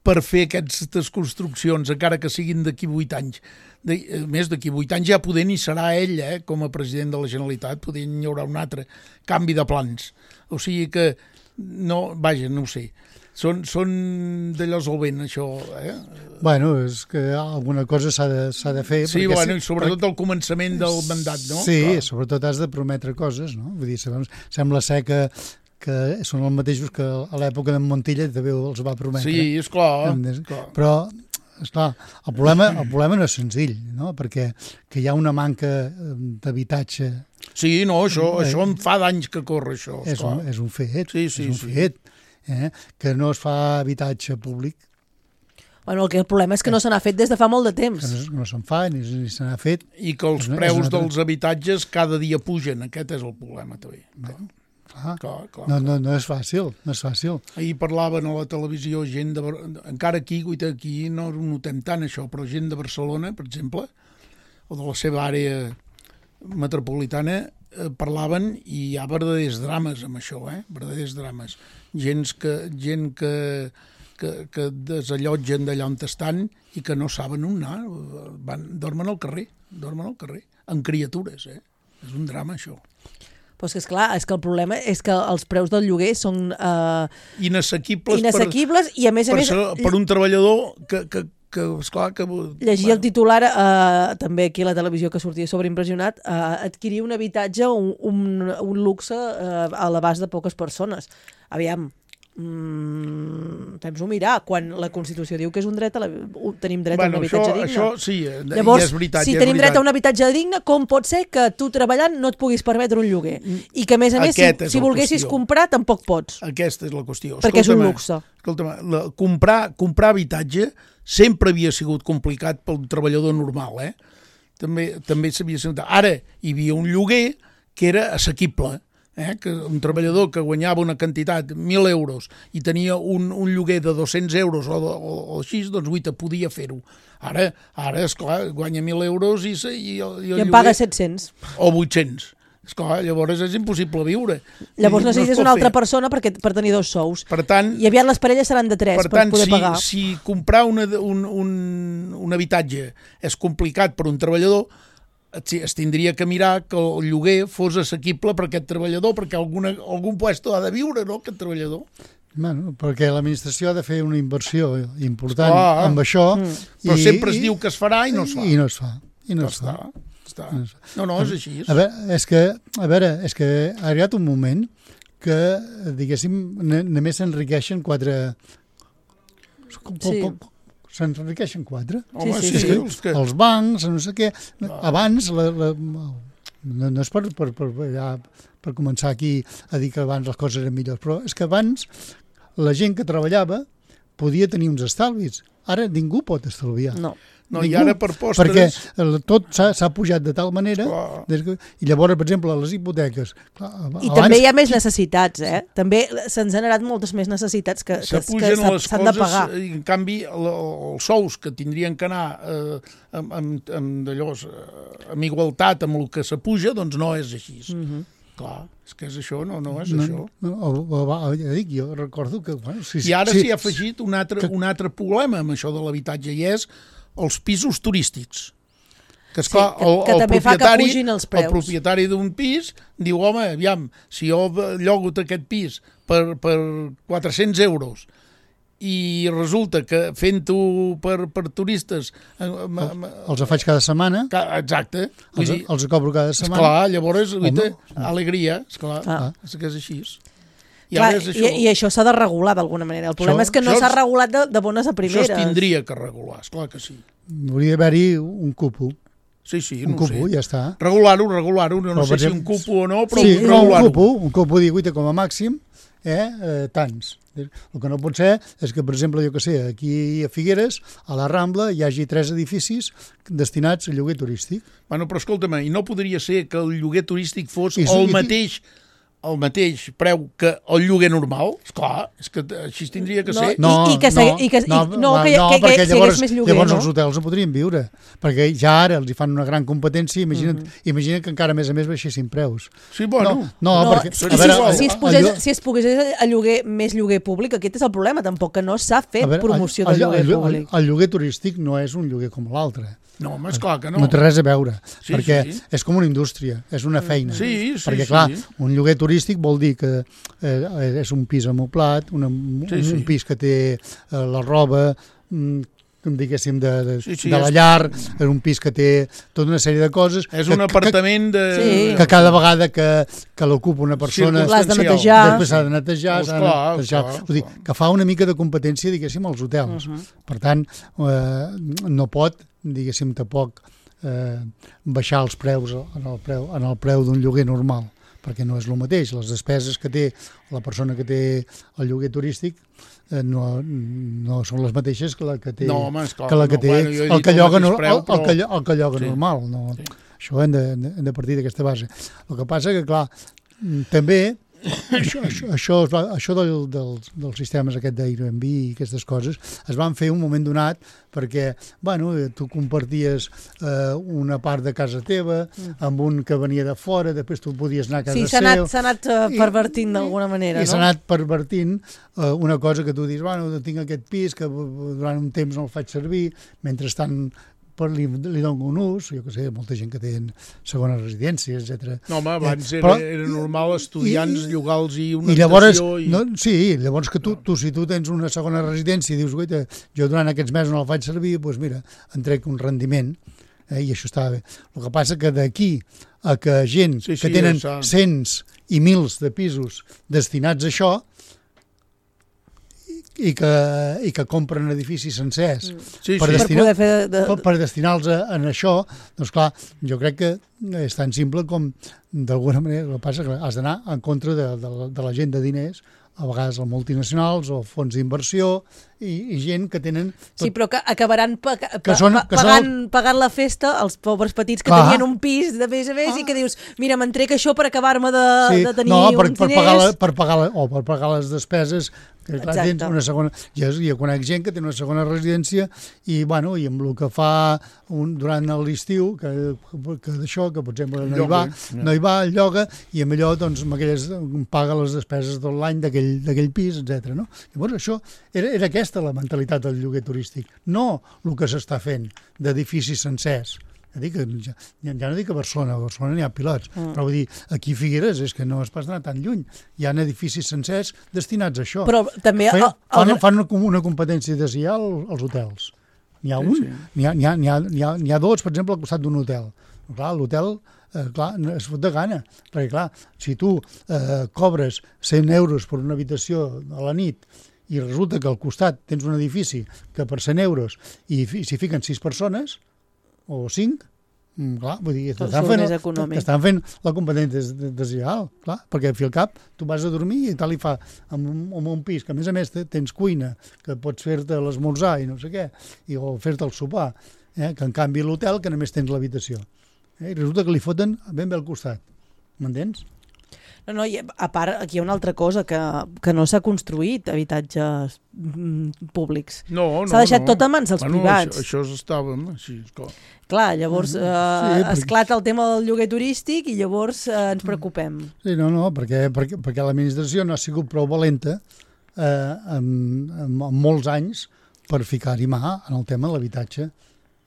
per fer aquestes construccions, encara que siguin d'aquí vuit anys? De, més d'aquí vuit anys ja poder ni serà ell, eh, com a president de la Generalitat, poder hi haurà un altre canvi de plans. O sigui que, no, vaja, no ho sé. Són, són d'allò solvent, això. Eh? Bueno, és que alguna cosa s'ha de, s'ha de fer. Sí, bueno, si, i sobretot perquè... al començament del mandat, no? Sí, clar. Sobretot has de prometre coses, no? Vull dir, sembla ser que que són els mateixos que a l'època d'en Montilla també els va prometre. Sí, esclar. clar. Però, esclar, el problema, el problema no és senzill, no? Perquè que hi ha una manca d'habitatge. Sí, no, això, eh, això em fa d'anys que corre, això. És un, és un fet, sí, sí, és un sí. fet, eh? Que no es fa habitatge públic. Bueno, el, que el problema és que no se n'ha fet des de fa molt de temps. Que no, no se'n fa, ni, ni se n'ha fet. I que els preus dels habitatges cada dia pugen, aquest és el problema, també. Bé. Clar, clar, clar, no, no, no és fàcil, no és fàcil. Ahir parlaven a la televisió gent de... Encara aquí, aquí no ho notem tant això, però gent de Barcelona, per exemple, o de la seva àrea metropolitana, eh, parlaven i hi ha verdaders drames amb això, eh? Verdaders drames. Gent que, gent que, que, que desallotgen d'allà on estan i que no saben on anar. Van, dormen al carrer, dormen al carrer, amb criatures, eh? És un drama, això. Però és que, esclar, és que el problema és que els preus del lloguer són uh, inassequibles, inassequibles per, i, a més a per, més... Per, per un treballador que, que, que esclar... Que, llegir el titular, uh, també aquí a la televisió que sortia sobreimpressionat, uh, adquirir un habitatge, un, un, un luxe uh, a l'abast de poques persones. Aviam, Mm, fem-s'ho mirar, quan la Constitució diu que és un dret a la... tenim dret bueno, a un habitatge això, digne. Això sí, llavors, és veritat. si és tenim veritat. dret a un habitatge digne, com pot ser que tu treballant no et puguis permetre un lloguer? I que, a més a més, Aquest si, si volguessis qüestió. comprar, tampoc pots. Aquesta és la qüestió. Perquè és un luxe. Escolta'm, la, comprar, comprar habitatge sempre havia sigut complicat pel treballador normal, eh? També, també s'havia sigut... Ara hi havia un lloguer que era assequible, eh? Que un treballador que guanyava una quantitat, mil euros, i tenia un, un lloguer de dos-cents euros o, o, o així, doncs guita, podia fer-ho. Ara, ara esclar, guanya mil euros i, i, i, i el I en lloguer... paga set-cents. O vuit-cents. Esclar, llavors és impossible viure. Llavors no necessites una altra persona perquè, per tenir dos sous. Per tant, I aviat les parelles seran de tres per, per tant, poder si, pagar. si comprar una, un, un, un habitatge és complicat per un treballador, es tindria que mirar que el lloguer fos assequible per aquest treballador, perquè alguna, algun puesto ha de viure, no?, aquest treballador. Bueno, perquè l'administració ha de fer una inversió important Esclar, amb això. Mm. Però I, sempre es i, diu que es farà i no es fa. I no es fa. I no no es fa. Està, està. No, no, és així. A veure, és que, a veure, és que ha arribat un moment que, diguéssim, només s'enriqueixen quatre... Sí. S'enriqueixen quatre. Sí, sí, sí. sí. Que... Els bancs, no sé què... Abans, la, la, no, no és per, per, per, ja, per començar aquí a dir que abans les coses eren millors, però és que abans la gent que treballava podia tenir uns estalvis. Ara ningú pot estalviar. No. No, i ara per postres... Perquè tot s'ha pujat de tal manera... Des que, I llavors, per exemple, les hipoteques... Clar, I abans... també hi ha més necessitats, eh? També s'han generat moltes més necessitats que, que, que s'han de pagar. I, en canvi, el, els sous que tindrien que anar eh, amb, amb, amb, d'allò, amb igualtat amb el que s'apuja, doncs no és així. Mm-hmm. Clar, és que és això, no, no és no, això. No, o, o, o, ja dic, jo recordo que... Bueno, si, I ara s'hi s'hi ha afegit un altre, que... un altre problema amb això de l'habitatge, i és els pisos turístics. Que, esclar, sí, que, que el, el també fa que pugin els preus. El propietari d'un pis diu, home, aviam, si jo llogo aquest pis per, per quatre-cents euros i resulta que fent-ho per, per turistes... El, els faig cada setmana. Exacte. Els, dir, els cobro cada setmana. Esclar, llavors, guita, alegria, esclar, ah. és que és així. I, Clar, això. I, i això s'ha de regular d'alguna manera. El problema això, és que no s'ha regulat de, de bones a primeres. Això es tindria que regular, esclar que sí. Hauria d'haver-hi un cupo. Sí, sí, un no cupo, sé. Ja està. Regular-ho, regular-ho, no, no sé exemple, si un cupo o no, però sí, regular-ho. Un cupo, un cupo dir, guita, com a màxim, eh, eh, tants. El que no pot ser és que, per exemple, jo que sé, aquí a Figueres, a la Rambla, hi hagi tres edificis destinats a lloguer turístic. Bueno, però escolta'm, i no podria ser que el lloguer turístic fos I, el i, mateix... el mateix preu que el lloguer normal? Esclar, és que així tindria que ser. No, I, i que, no, i que, no, i, no, que, no, que, que, que llavors, més lloguer, llavors no? els hotels no podrien viure, perquè ja ara els hi fan una gran competència, imagina't, mm -hmm. imagina't que encara a més a més baixessin preus. Sí, bueno. No, no, no perquè... Si, a veure, si, es posés, si es pogués a lloguer més lloguer públic, aquest és el problema, tampoc que no s'ha fet veure, promoció el, de lloguer el, el, públic. El, el lloguer turístic no és un lloguer com l'altre. No, home, esclar que no. No té res a veure, sí, perquè sí. és com una indústria, és una feina. Sí, sí, perquè, clar, sí. un lloguer turístic vol dir que eh, és un pis amoblat, una, sí, un, sí. un pis que té eh, la roba, mm, diguéssim, de, de, sí, sí, de la llar, és un pis que té tota una sèrie de coses. És que, un apartament que, de... Sí. Que cada vegada que, que l'ocupa una persona... L'has de netejar. Després s'ha de netejar, s'ha de netejar. Clar, Vull dir, que fa una mica de competència, diguéssim, als hotels. Uh -huh. Per tant, eh, no pot, diguéssim, tampoc eh, baixar els preus en el preu, en el preu d'un lloguer normal, perquè no és el mateix. Les despeses que té la persona que té el lloguer turístic eh, no, no són les mateixes que la que té, no, home, esclar, que, la que no, té bueno, el que lloga, no, preu, el, però... el que, el que lloga sí. normal. No? Sí. Això hem de, hem de partir d'aquesta base. El que passa que, clar, també això, això, això, es va, això del, del, dels sistemes aquest d'Airbnb i aquestes coses es van fer un moment donat perquè, bueno, tu comparties eh, una part de casa teva amb un que venia de fora, després tu podies anar a casa sí, seu. Sí, s'ha anat, anat uh, pervertint d'alguna manera, i, no? I s'ha anat pervertint uh, una cosa que tu dius, bueno, tinc aquest pis que durant un temps no el faig servir, mentrestant per, li, li dono un ús, jo què sé, molta gent que té segona residència, etcètera. No, home, abans eh, era, però, era normal estudiants llogar-los i una i llavors, habitació... I... No, sí, llavors que tu, tu, si tu tens una segona residència i dius, guaita, jo durant aquests mesos no la faig servir, doncs mira, en trec un rendiment, eh, i això està bé. El que passa que d'aquí a que gent sí, sí, que tenen ja cents i mils de pisos destinats a això, i que, i que compren edificis sencers mm. sí, per, sí. Destinar, per, de... per, per destinar-los en això, doncs clar, jo crec que és tan simple com d'alguna manera, el que passa que has d'anar en contra de, de, de la gent de diners, a vegades els multinacionals o fons d'inversió i, i gent que tenen... Tot... Sí, però que acabaran pa, pa, que són, que pagant, són... pagant la festa als pobres petits que clar. Tenien un pis de més a més ah. i que dius, mira, me'n trec això per acabar-me de, sí. de tenir no, per, uns per diners... Pagar la, per pagar la, o per pagar les despeses que clar, tens una segona... Jo, jo conec gent que té una segona residència i, bueno, i amb el que fa un, durant l'estiu, que, que d'això, que per exemple no hi va, no hi va, el lloga, i amb allò doncs, amb aquelles, paga les despeses tot l'any d'aquell pis, etcètera. No? Llavors això era, era aquesta la mentalitat del lloguer turístic, no el que s'està fent d'edificis sencers. Ja, ja, ja no dic a Barcelona, a Barcelona n'hi ha pilots, mm. però vull dir, aquí a Figueres és que no es pas anar tan lluny. Hi ha edificis sencers destinats a això. Però també... Fan, fan, fan una competència deslleial als hotels. N'hi ha un, sí, sí. N'hi ha, n'hi ha, n'hi ha, n'hi ha, n'hi ha dos, per exemple, al costat d'un hotel. Clar, l'hotel eh, clar, es fot de gana, perquè clar, si tu eh, cobres cent euros per una habitació a la nit i resulta que al costat tens un edifici que per cent euros i s'hi fiquen sis persones, o cinc, clar, vull dir, t'estan fent, t'estan fent la competència deslleial, clar, perquè al fi al cap tu vas a dormir i tal i fa amb un, amb un pis que a més a més tens cuina, que pots fer-te l'esmorzar i no sé què, i, o fer-te el sopar, eh, que en canvi l'hotel que només tens l'habitació. Eh, I resulta que li foten ben bé al costat, m'entens? No, no, i a part, aquí hi ha una altra cosa, que, que no s'ha construït habitatges mm, públics. No, no, s'ha deixat no. tot a mans dels bueno, privats. Això, això estàvem així, clar. Clar, llavors eh, sí, esclata el tema del lloguer turístic i llavors eh, ens preocupem. Sí, no, no, perquè, perquè, perquè l'administració no ha sigut prou valenta eh, en, en, en molts anys per ficar-hi mà en el tema de l'habitatge.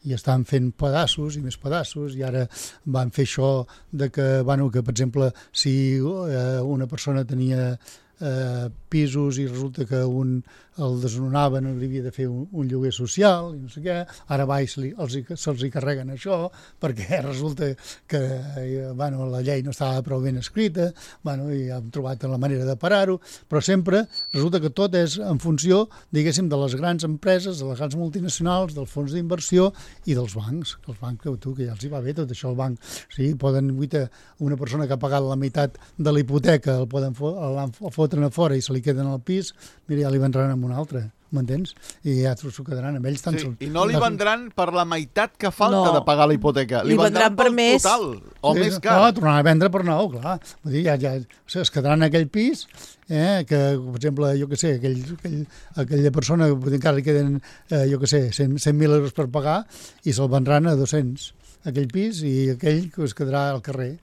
I estan fent pedaços i més pedaços i ara van fer això de que, bueno, que per exemple, si eh, una persona tenia eh, pisos i resulta que un el desnonaven, li havia de fer un, un lloguer social i no sé què, ara baix li, els, se'ls hi carreguen això perquè resulta que eh, bueno, la llei no estava prou ben escrita, bueno, i hem trobat la manera de parar-ho, però sempre resulta que tot és en funció, diguéssim, de les grans empreses, de les grans multinacionals, dels fons d'inversió i dels bancs, que els bancs, que tu, que ja els hi va bé tot això, el banc, sí, poden, guita, una persona que ha pagat la meitat de la hipoteca, el poden fo el fotren a fora i se li queden al pis, mira, ja li vendran amb un altre, m'entens? I ja s'ho quedaran amb ells tan... Sí, i no li vendran per la meitat que falta no. de pagar la hipoteca, li, li vendran, vendran per més total, o sí, més car. No, tornaran a vendre per nou, clar. Vull dir, ja, ja, o sigui, es quedaran en aquell pis, eh, que, per exemple, jo què sé, aquell, aquell, aquella persona que encara li queden, eh, jo què sé, cent mil euros per pagar i se'l vendran a dos-cents, aquell pis, i aquell que es quedarà al carrer.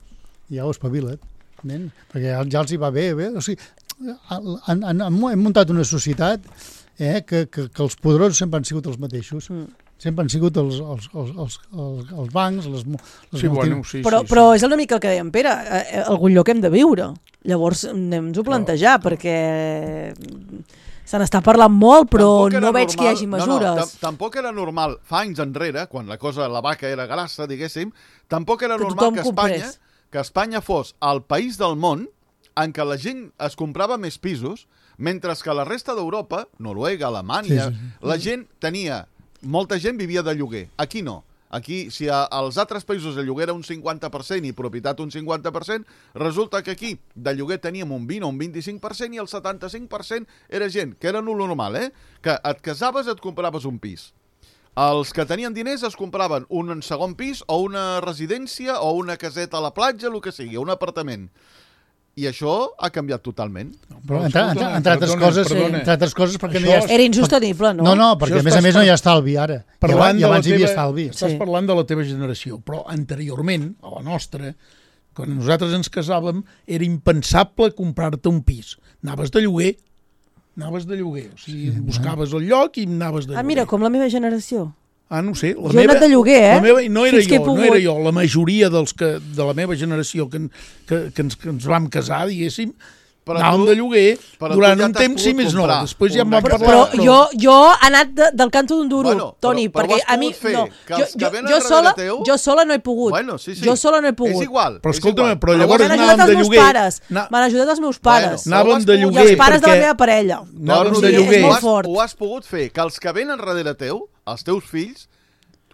I ja ho espavila't, nen? Perquè ja, ja els hi va bé, bé, o sigui, han, han, hem muntat una societat eh, que, que, que els poderosos sempre han sigut els mateixos. Mm. Sempre han sigut els, els, els, els, els, els bancs, les, les sí, bueno, sí, però, sí, però sí. És una mica el que dèiem, Pere, eh, algun lloc hem de viure. Llavors anem-nos-ho a plantejar, no. perquè se n'està parlant molt, però no veig normal, que hi hagi mesures. No, no, tampoc era normal, fa anys enrere, quan la cosa, la vaca era grassa, diguéssim, tampoc era que normal que Espanya, que Espanya fos el país del món en què la gent es comprava més pisos, mentre que la resta d'Europa, Noruega, Alemanya, sí, sí. la gent tenia... Molta gent vivia de lloguer. Aquí no. Aquí, si a, als altres països el lloguer era un cinquanta per cent i propietat un cinquanta per cent, resulta que aquí de lloguer teníem un vint o un vint-i-cinc per cent i el setanta-cinc per cent era gent, que era lo normal, eh? Que et casaves i et compraves un pis. Els que tenien diners es compraven un segon pis o una residència o una caseta a la platja, el que sigui, un apartament. I això ha canviat totalment. No, però entre, entre, entre, altres coses, perdona. entre altres coses... perquè no hi ha... Era insostenible, no? No, no, perquè a més a més no hi ha estalvi ara. I abans hi havia estalvi. Estàs sí. parlant de la teva generació, però anteriorment, a la nostra, quan nosaltres ens casàvem, era impensable comprar-te un pis. Anaves de lloguer, anaves de lloguer. O sigui, sí, buscaves el lloc i anaves de lloguer. Ah, mira, com la meva generació. Ah, no ho sé. La jo he meva, anat de lloguer, eh? La meva, no, era Fins que he jo, no pogut. era jo, la majoria dels que, de la meva generació que, que, que, ens, que ens vam casar, diguéssim, Però anàvem tu- de lloguer però tu durant ja un t'has temps, sí pogut més no. comprar Després ja em una vam casa. parlar. Però jo, jo he anat de, del canto d'un duro, Bueno, però- Toni, però ho perquè has a mi... pogut fer, No, que jo, els que jo, venen jo, darrere sola, teu- jo sola no he pogut. Bueno, sí, sí. Jo sola no he pogut. És igual. Però és escolta'm, igual. però M'han llavors ajudat anàvem els de meus lloguer. pares. Na- M'han ajudat els meus pares. Bueno, Anàvem de I lloguer els pares de la perquè- meva parella. Anàvem Sí, de és lloguer. Ho molt has, fort. ho has pogut fer, que els que venen darrere teu, els teus fills,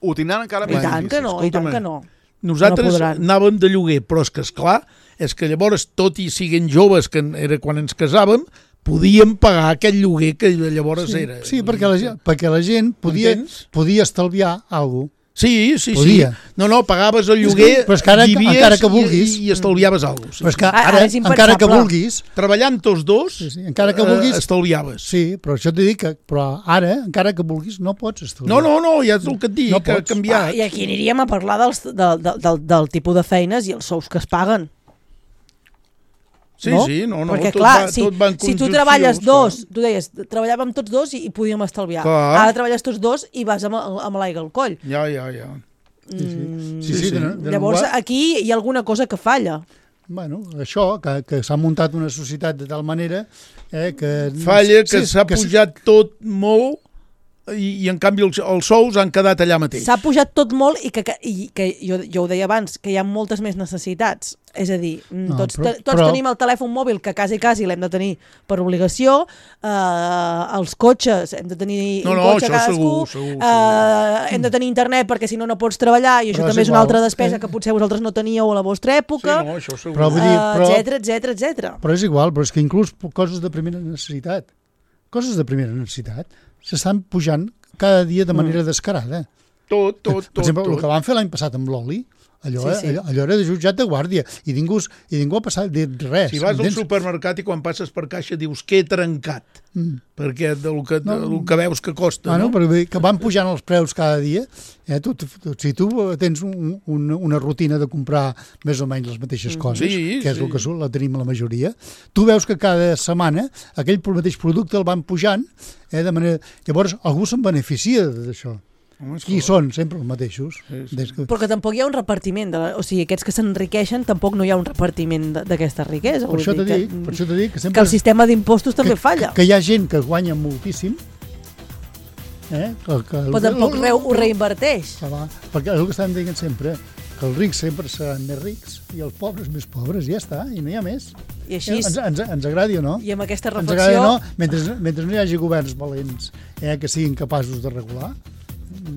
ho tindran encara I més tant que difícil. no, i tant escolta'm. que no. Nosaltres No podran. anàvem de lloguer, però és que, esclar, és que llavors, tot i siguent joves, que era quan ens casàvem, podíem pagar aquest lloguer que llavors Sí, era. sí perquè, la, gent- perquè la gent podia, Entens? podia estalviar alguna cosa. Sí, sí, Podia. sí. No, no, pagaves el lloguer, Però és que ara- vivies encara que i- vulguis- i, i estalviaves alguna cosa. Sí. Però és que Ara ara, és encara que impensable. vulguis, Treballant tots dos, sí, sí, encara que eh, vulguis, estalviaves. sí, però això t'he dit que però ara, encara que vulguis, no pots estalviar. No, no, no, ja és el que et dic, No que ha pots. canviat. Ah, I aquí aniríem a parlar dels, del, del, del, del tipus de feines i els sous que es paguen. Sí, no? sí, no, no, Perquè, tot clar, va- si, tot va en si tu conjunció, treballes clar. dos, tu deies, treballàvem tots dos i, i podíem estalviar. Clar. Ara treballes tots dos i vas amb, amb l'aigua al coll. Ja, ja, ja. Sí, sí. Mm, sí, sí, de, de Llavors, llenguatge- aquí hi ha alguna cosa que falla. Bueno, això, que, que s'ha muntat una societat de tal manera eh, que... Falla que sí, s'ha que sí. pujat tot molt i, i en canvi els, els sous han quedat allà mateix. S'ha pujat tot molt i que, que, i que jo, jo ho deia abans, que hi ha moltes més necessitats. És a dir, No, tots, però- te, tots però- tenim el telèfon mòbil, que quasi, quasi l'hem de tenir per obligació, eh, els cotxes, hem de tenir No, un no, cotxe això cadascú, segur, segur, eh, hem de tenir internet perquè si no no pots treballar i això Però és també és una igual. altra despesa Eh. que potser vosaltres no teníeu a la vostra època, Sí, no, això segur. Però vull dir, però- etcètera, etcètera, etcètera. Però és igual, però és que inclús coses de primera necessitat, coses de primera necessitat, s'estan pujant cada dia de manera descarada. Tot, tot, Per tot. exemple, tot. el que van fer l'any passat amb l'oli, allò, Sí, sí, sí. sí. allò, allò era de jutjat de guàrdia i ningú, i ningú ha passat dit res. Si vas al entens? supermercat i quan passes per caixa dius que he trencat, Mm. perquè del que, No. del que veus que costa, Ah, no? no? Però vull dir que van pujant els preus cada dia. Eh? Tu, tu, tu, si tu tens un, un, una rutina de comprar més o menys les mateixes coses, Sí, que és sí. el que surt, la tenim la majoria, tu veus que cada setmana aquell mateix producte el van pujant, eh? de manera... Llavors algú se'n beneficia d'això. Home, és Qui clar. són? Sempre els mateixos. Sí, sí. Des que... Però que tampoc hi ha un repartiment, de la, o sigui, aquests que s'enriqueixen tampoc no hi ha un repartiment de- d'aquesta riquesa. Per vull això dir t'he que, dit, per això t'he dit que que sempre... el sistema d'impostos també que, falla. Que, que hi ha gent que guanya moltíssim, eh? que, que, Però tampoc re, ho reinverteix. Que va, perquè és el que estem dient sempre, que els rics sempre seran més rics i els pobres més pobres, ja està, i no hi ha més. I així, Eh, ens, ens, ens agradi o no? i amb aquesta Ens agradi reflexió, o no, mentre, mentre no hi hagi governs valents eh, que siguin capaços de regular,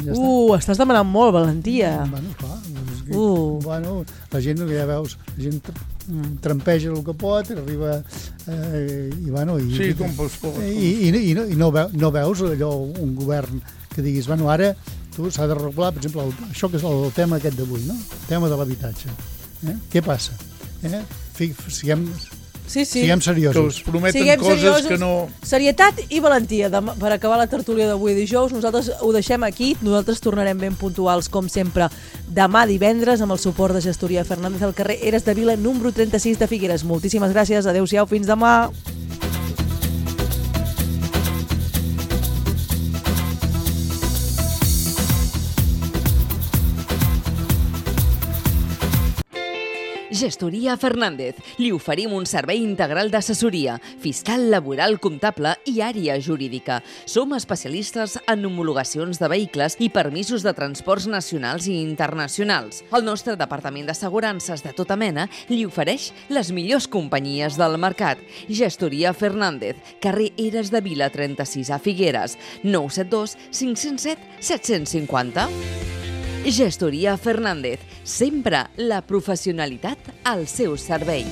ja està. uh, estàs demanant molt, valentia. Bueno, clar, és que, Uh. bueno, la gent, ja veus, la gent tr- trampeja el que pot, arriba eh, i, bueno, i, Sí, com pels pobres. i, i, i, no, i no, veu, no veus allò, un govern que diguis, bueno, ara tu s'ha de regular, per exemple, el, això que és el, el tema aquest d'avui, no? El tema de l'habitatge. Eh? Què passa? Eh? Fi, siguem, Sí, sí. siguem Que seriosos. us prometen Siguem coses seriosos. que no... Serietat i valentia. Demà, per acabar la tertúlia d'avui dijous, nosaltres ho deixem aquí. Nosaltres tornarem ben puntuals, com sempre, demà divendres, amb el suport de Gestoria Fernández al carrer Eres de Vila, número trenta-sis de Figueres. Moltíssimes gràcies. Adéu-siau. Fins demà. Gestoria Fernández. Li oferim un servei integral d'assessoria, fiscal, laboral, comptable i àrea jurídica. Som especialistes en homologacions de vehicles i permisos de transports nacionals i internacionals. El nostre departament d'assegurances de tota mena li ofereix les millors companyies del mercat. Gestoria Fernández, carrer Eres de Vila trenta-sis a Figueres, nou set dos cinc zero set set cinc zero. Gestoria Fernández, sempre la professionalitat al seu servei.